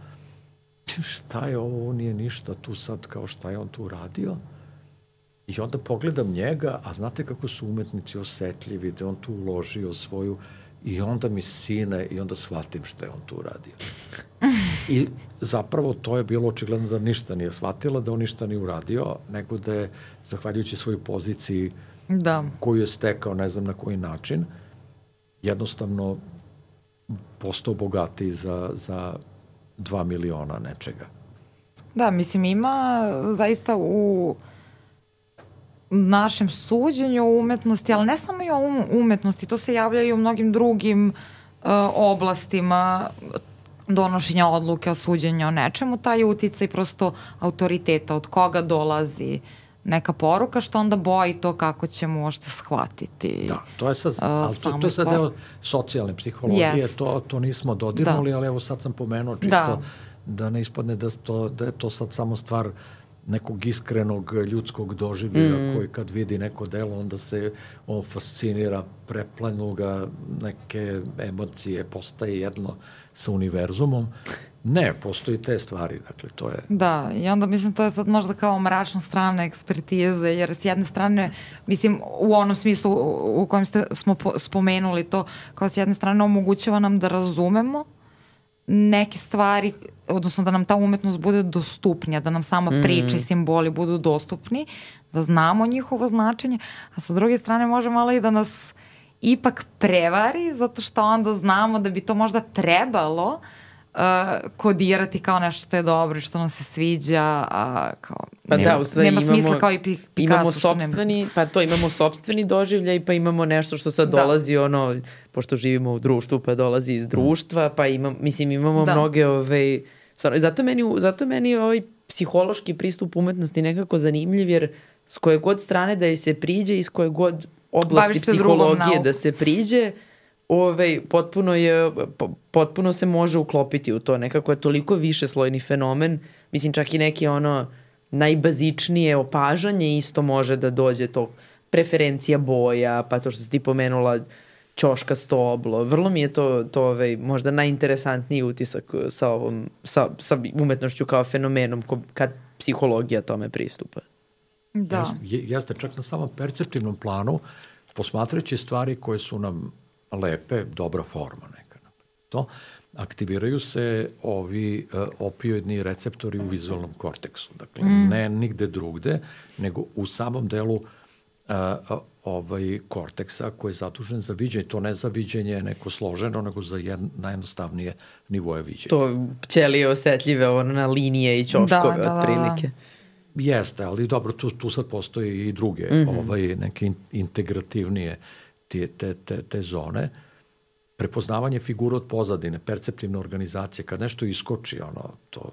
šta je ovo, ovo nije ništa tu sad, kao šta je on tu radio. I onda pogledam njega, a znate kako su umetnici osetljivi, da on tu uložio svoju, i onda mi sine, i onda shvatim šta je on tu radio. I zapravo to je bilo očigledno da ništa nije shvatila, da on ništa nije uradio, nego da je, zahvaljujući svojoj poziciji da. koju je stekao, ne znam na koji način, jednostavno postao bogatiji za, za dva miliona nečega. Da, mislim, ima zaista u našem suđenju o umetnosti, ali ne samo i o umetnosti, to se javlja i u mnogim drugim uh, oblastima donošenja odluke o suđenju o nečemu, taj uticaj prosto autoriteta, od koga dolazi neka poruka, što onda boji to kako ćemo možda shvatiti. Da, to je sad, ali to, to je sad deo socijalne psihologije, yes. to, to nismo dodirnuli, da. Ali evo sad sam pomenuo čisto da, da ne ispadne da, to, da je to sad samo stvar nekog iskrenog ljudskog doživlja mm. koji kad vidi neko delo, onda se on fascinira, preplenu ga neke emocije, postaje jedno sa univerzumom. Ne, postoji te stvari, dakle, to je... Da, i onda mislim to je sad možda kao mračna strana ekspertize, jer s jedne strane, mislim, u onom smislu u kojem ste, smo po, spomenuli to, kao s jedne strane omogućava nam da razumemo neke stvari, odnosno da nam ta umetnost bude dostupnija, da nam sama mm. priča i simboli budu dostupni, da znamo njihovo značenje, a sa druge strane može malo i da nas ipak prevari, zato što onda znamo da bi to možda trebalo uh, kodirati kao nešto što je dobro i što nam se sviđa, a kao pa nema, da, u stvari nema imamo, smisla kao i Picasso. Imamo sopstveni, pa to imamo sopstveni doživljaj, pa imamo nešto što sad da. dolazi ono, pošto živimo u društvu, pa dolazi iz društva, pa imam, mislim imamo da. mnoge ove, zato meni, zato meni ovaj psihološki pristup umetnosti nekako zanimljiv, jer s koje god strane da je se priđe i s koje god oblasti psihologije da se priđe, ovaj, potpuno, je, potpuno se može uklopiti u to. Nekako je toliko višeslojni fenomen. Mislim, čak i neki ono najbazičnije opažanje isto može da dođe to preferencija boja, pa to što si ti pomenula ćoškasto oblo. Vrlo mi je to, to ovaj, možda najinteresantniji utisak sa, ovom, sa, sa umetnošću kao fenomenom kad psihologija tome pristupa. Da. Jeste, čak na samom perceptivnom planu, posmatrajući stvari koje su nam lepe, dobra forma neka. To, aktiviraju se ovi uh, opioidni receptori u vizualnom korteksu. Dakle, mm. ne nigde drugde, nego u samom delu uh, ovaj korteksa koji je zadužen za viđenje. To ne za viđenje neko složeno, nego za jed, najjednostavnije nivoje viđenja. To ćelije osetljive ono, na linije i ćoškove da, da, otprilike. Jeste, ali dobro, tu, tu sad postoji i druge, mm -hmm. ovaj, neke in, integrativnije te, te, te, te zone. Prepoznavanje figura od pozadine, perceptivna organizacija, kad nešto iskoči, ono, to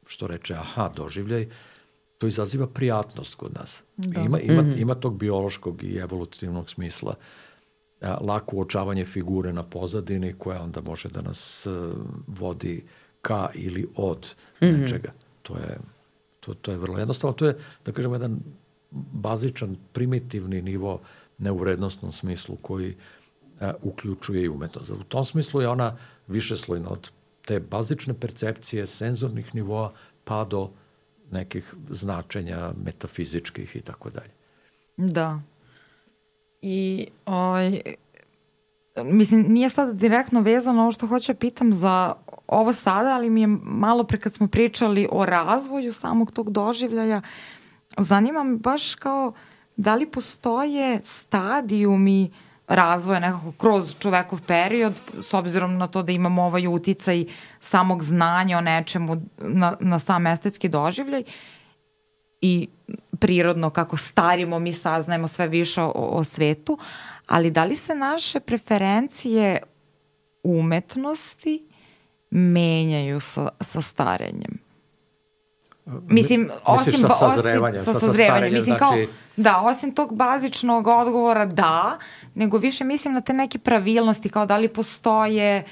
što reče aha, doživljaj, to izaziva prijatnost kod nas. Da. Ima, ima, mm -hmm. ima tog biološkog i evolutivnog smisla. A, lako uočavanje figure na pozadini koja onda može da nas uh, vodi ka ili od mm -hmm. nečega. To je... To, to je vrlo jednostavno. To je, da kažemo, jedan bazičan, primitivni nivo neuvrednostnom smislu koji a, uključuje i umetnost. U tom smislu je ona višeslojna od te bazične percepcije, senzornih nivoa, pa do nekih značenja metafizičkih i tako dalje. Da. I ovaj, mislim, nije sad direktno vezano ovo što hoću pitam za ovo sada, ali mi je malo pre kad smo pričali o razvoju samog tog doživljaja, zanima me baš kao da li postoje stadijumi razvoja nekako kroz čovekov period, s obzirom na to da imamo ovaj uticaj samog znanja o nečemu na, na sam estetski doživljaj i prirodno kako starimo mi saznajemo sve više o, o svetu, ali da li se naše preferencije umetnosti menjaju sa, sa starenjem? Mislim, osim, sa sazrevanjem, osim, sa sazrevanjem. Mislim, kao, znači... Da, osim tog bazičnog odgovora da, nego više mislim na te neke pravilnosti, kao da li postoje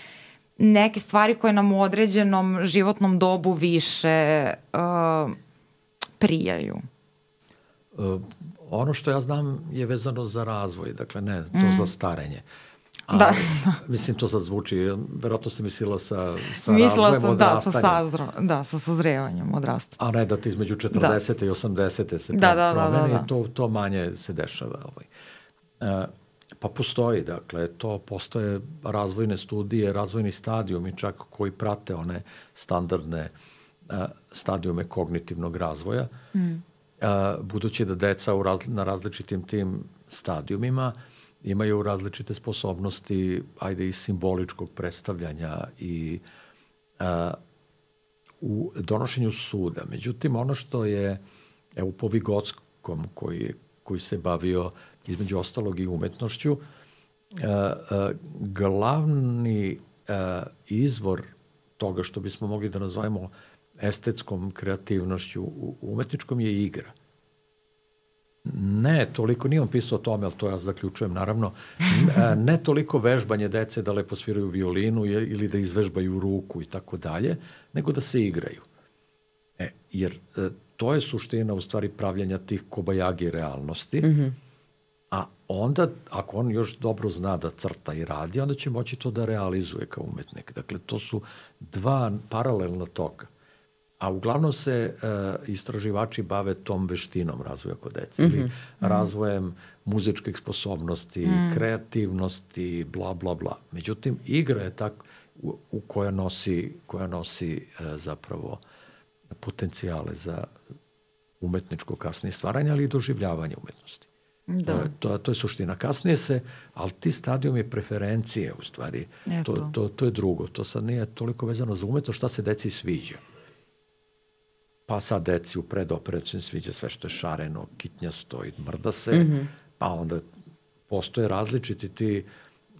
neke stvari koje nam u određenom životnom dobu više uh, prijaju. Uh, ono što ja znam je vezano za razvoj, dakle ne to mm. za starenje. A, da. Mislim, to sad zvuči, verovatno ste mislila sa, sa Mislila razvojem sam, odrastanjem. Da, sa, sazro, da, sa sazrevanjem odrastanjem. A ne da ti između četrdesete da. i osamdesete se da, da, promeni, da, da, da. To, to manje se dešava. Ovaj. E, pa postoji, dakle, to postoje razvojne studije, razvojni stadijumi čak koji prate one standardne a, stadijume kognitivnog razvoja. Mm. A, budući da deca u raz, na različitim tim stadijumima imaju različite sposobnosti, ajde i simboličkog predstavljanja i a, u donošenju suda. Međutim, ono što je evo, po Vigotskom koji, koji se bavio između ostalog i umetnošću, a, a, glavni a, izvor toga što bismo mogli da nazovemo estetskom kreativnošću u umetničkom je igra. Ne toliko, nije on pisao o tome, ali to ja zaključujem naravno, ne toliko vežbanje dece da lepo sviraju violinu ili da izvežbaju ruku i tako dalje, nego da se igraju. E, jer e, to je suština u stvari pravljanja tih kobajagi realnosti, mm-hmm. a onda, ako on još dobro zna da crta i radi, onda će moći to da realizuje kao umetnik. Dakle, to su dva paralelna toka. A uglavnom se uh, istraživači bave tom veštinom razvoja kod dece, mm-hmm. ili razvojem muzičkih sposobnosti, mm. kreativnosti, bla, bla, bla. Međutim, igra je tak u, u koja nosi, koja nosi uh, zapravo potencijale za umetničko kasnije stvaranje, ali i doživljavanje umetnosti. Da. To, to, to je suština. Kasnije se, ali ti stadijumi preferencije, u stvari, to, to, to je drugo. To sad nije toliko vezano za umetnost, šta se deci sviđa. Pa sad deci u predoperaciji sviđa sve što je šareno, kitnjasto i mrda se, mm-hmm. pa onda postoje različiti ti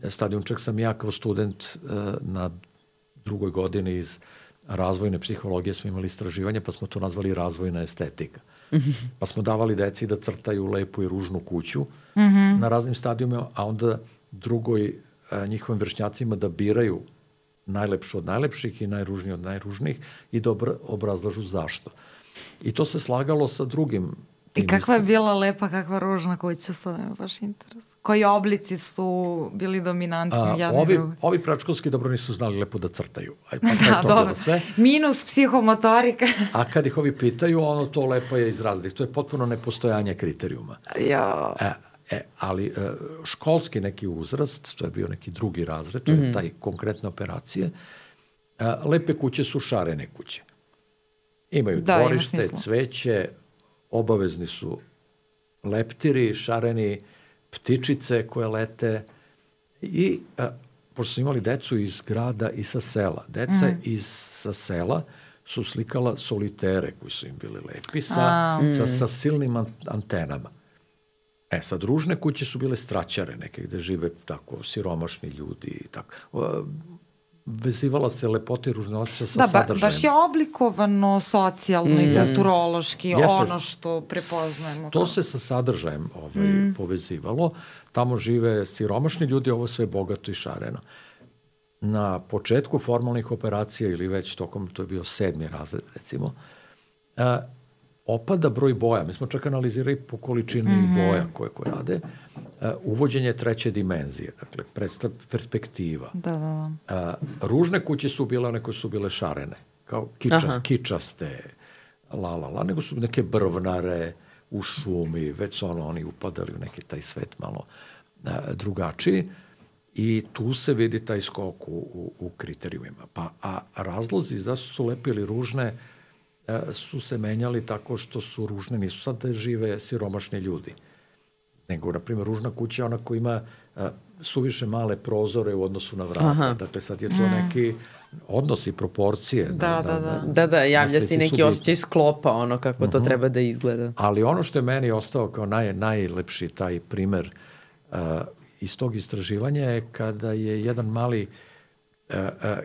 stadijum. Čak sam ja kao student uh, na drugoj godini iz razvojne psihologije smo imali istraživanje, pa smo to nazvali razvojna estetika. Mm-hmm. Pa smo davali deci da crtaju lepu i ružnu kuću mm-hmm. na raznim stadijumima, a onda drugoj uh, njihovim vršnjacima da biraju najlepšu od najlepših i najružniji od najružnijih i da obrazlažu zašto. I to se slagalo sa drugim. I kakva je bila lepa, kakva ružna kuća, sad me baš interes. Koji oblici su bili dominantni? A, ovi, ovi pračkovski dobro nisu znali lepo da crtaju. Aj, pa da, dobro. Sve. Minus psihomotorika. A kad ih ovi pitaju, ono to lepo je iz razlih. To je potpuno nepostojanje kriterijuma. Ja. E, E, ali školski neki uzrast, to je bio neki drugi razred, to je mm-hmm. taj konkretne operacije, lepe kuće su šarene kuće. Imaju da, dvorište, cveće, obavezni su leptiri, šareni, ptičice koje lete i, a, pošto su imali decu iz grada i sa sela, deca mm. iz sa sela su slikala solitere koji su im bili lepi sa, a, sa, sa silnim antenama. E, sad, ružne kuće su bile straćare neke gde žive tako siromašni ljudi i tako. Vezivala se lepota i ružnoća sa da, sadržajem. Da, baš je oblikovano socijalno mm. i kulturološki, Jeste. ono što prepoznajemo. To se sa sadržajem ovaj, mm. povezivalo. Tamo žive siromašni ljudi, ovo sve bogato i šareno. Na početku formalnih operacija ili već tokom, to je bio sedmi razred, recimo, a, opada broj boja. Mi smo čak analizirali po količini mm-hmm. boja koje, koje rade. Uh, uvođenje treće dimenzije, dakle, predstav, perspektiva. Da, da, da. Uh, ružne kuće su bile one koje su bile šarene, kao kiča, kičaste, la, la, la, nego su neke brvnare u šumi, već su ono, oni upadali u neki taj svet malo uh, drugačiji i tu se vidi taj skok u, u, u kriterijumima. Pa, a razlozi zašto su lepe ili ružne su se menjali tako što su ružne, nisu sad da žive siromašni ljudi. Nego, na primjer, ružna kuća je ona koja ima a, suviše male prozore u odnosu na vrata. Aha. Dakle, sad je to mm. neki odnos i proporcije. Da, da, da. Da, da, da javlja se neki osjećaj sklopa, ono kako uh-huh. to treba da izgleda. Ali ono što je meni ostao kao naj, najlepši taj primer uh, iz tog istraživanja je kada je jedan mali uh, uh,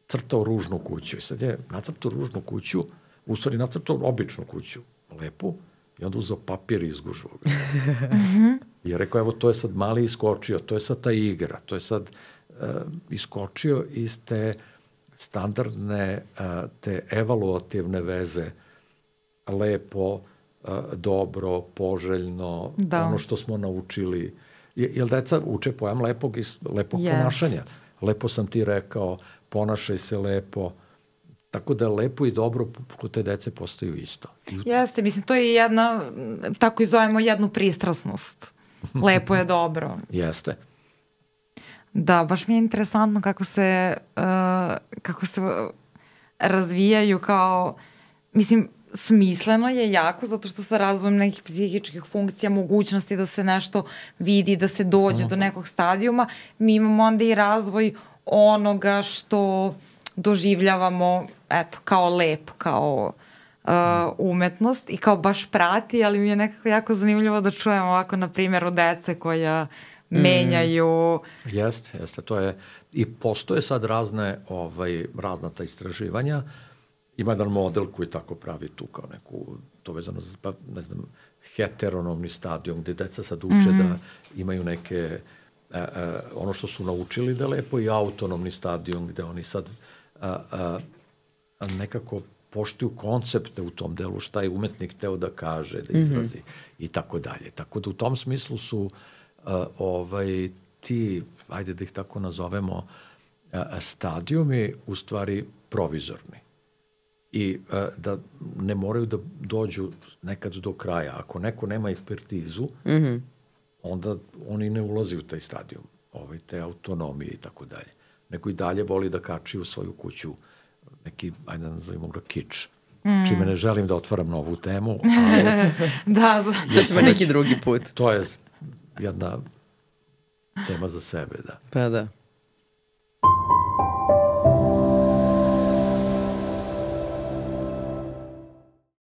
crtao ružnu kuću. I sad je nacrtao ružnu kuću, u stvari nacrtao običnu kuću, lepu, i onda uzao papir i izgužvao ga. I je rekao, evo, to je sad mali iskočio, to je sad ta igra, to je sad uh, iskočio iz te standardne, uh, te evaluativne veze, lepo, uh, dobro, poželjno, da. Ono što smo naučili, jer deca uče pojam lepog, lepog yes. ponašanja. Lepo sam ti rekao, ponašaj se lepo, tako da lepo i dobro kod te dece postaju isto. Jeste, mislim, to je jedna, tako i zovemo jednu pristrasnost. Lepo je dobro. Jeste. Da, baš mi je interesantno kako se, uh, kako se razvijaju kao, mislim, smisleno je jako zato što sa razvojem nekih psihičkih funkcija, mogućnosti da se nešto vidi, da se dođe uh-huh. do nekog stadijuma, mi imamo onda i razvoj onoga što doživljavamo, eto, kao lep, kao uh, umetnost i kao baš prati, ali mi je nekako jako zanimljivo da čujem ovako na primjeru dece koja menjaju. Mm. Jeste, jeste, to je, i postoje sad razne, ovaj, razna ta istraživanja. Ima jedan model koji tako pravi tu kao neku, to vezano za, pa, ne znam, heteronomni stadijum, gde deca sad uče mm-hmm. da imaju neke, e, e, ono što su naučili da je lepo, i autonomni stadijum gde oni sad a, a, a nekako poštuju koncepte u tom delu, šta je umetnik teo da kaže, da izrazi mm-hmm. i tako dalje. Tako da u tom smislu su a, ovaj, ti, ajde da ih tako nazovemo, a, stadijumi u stvari provizorni. I a, da ne moraju da dođu nekad do kraja. Ako neko nema ekspertizu, mm-hmm. onda oni ne ulazi u taj stadijum, ovaj, te autonomije i tako dalje. Neko i dalje voli da kači u svoju kuću neki, ajde da nazovimo ga, kič. Mm. Čime ne želim da otvaram novu temu, ali... da, to ćemo neki drugi put. To je jedna tema za sebe, da. Pa da.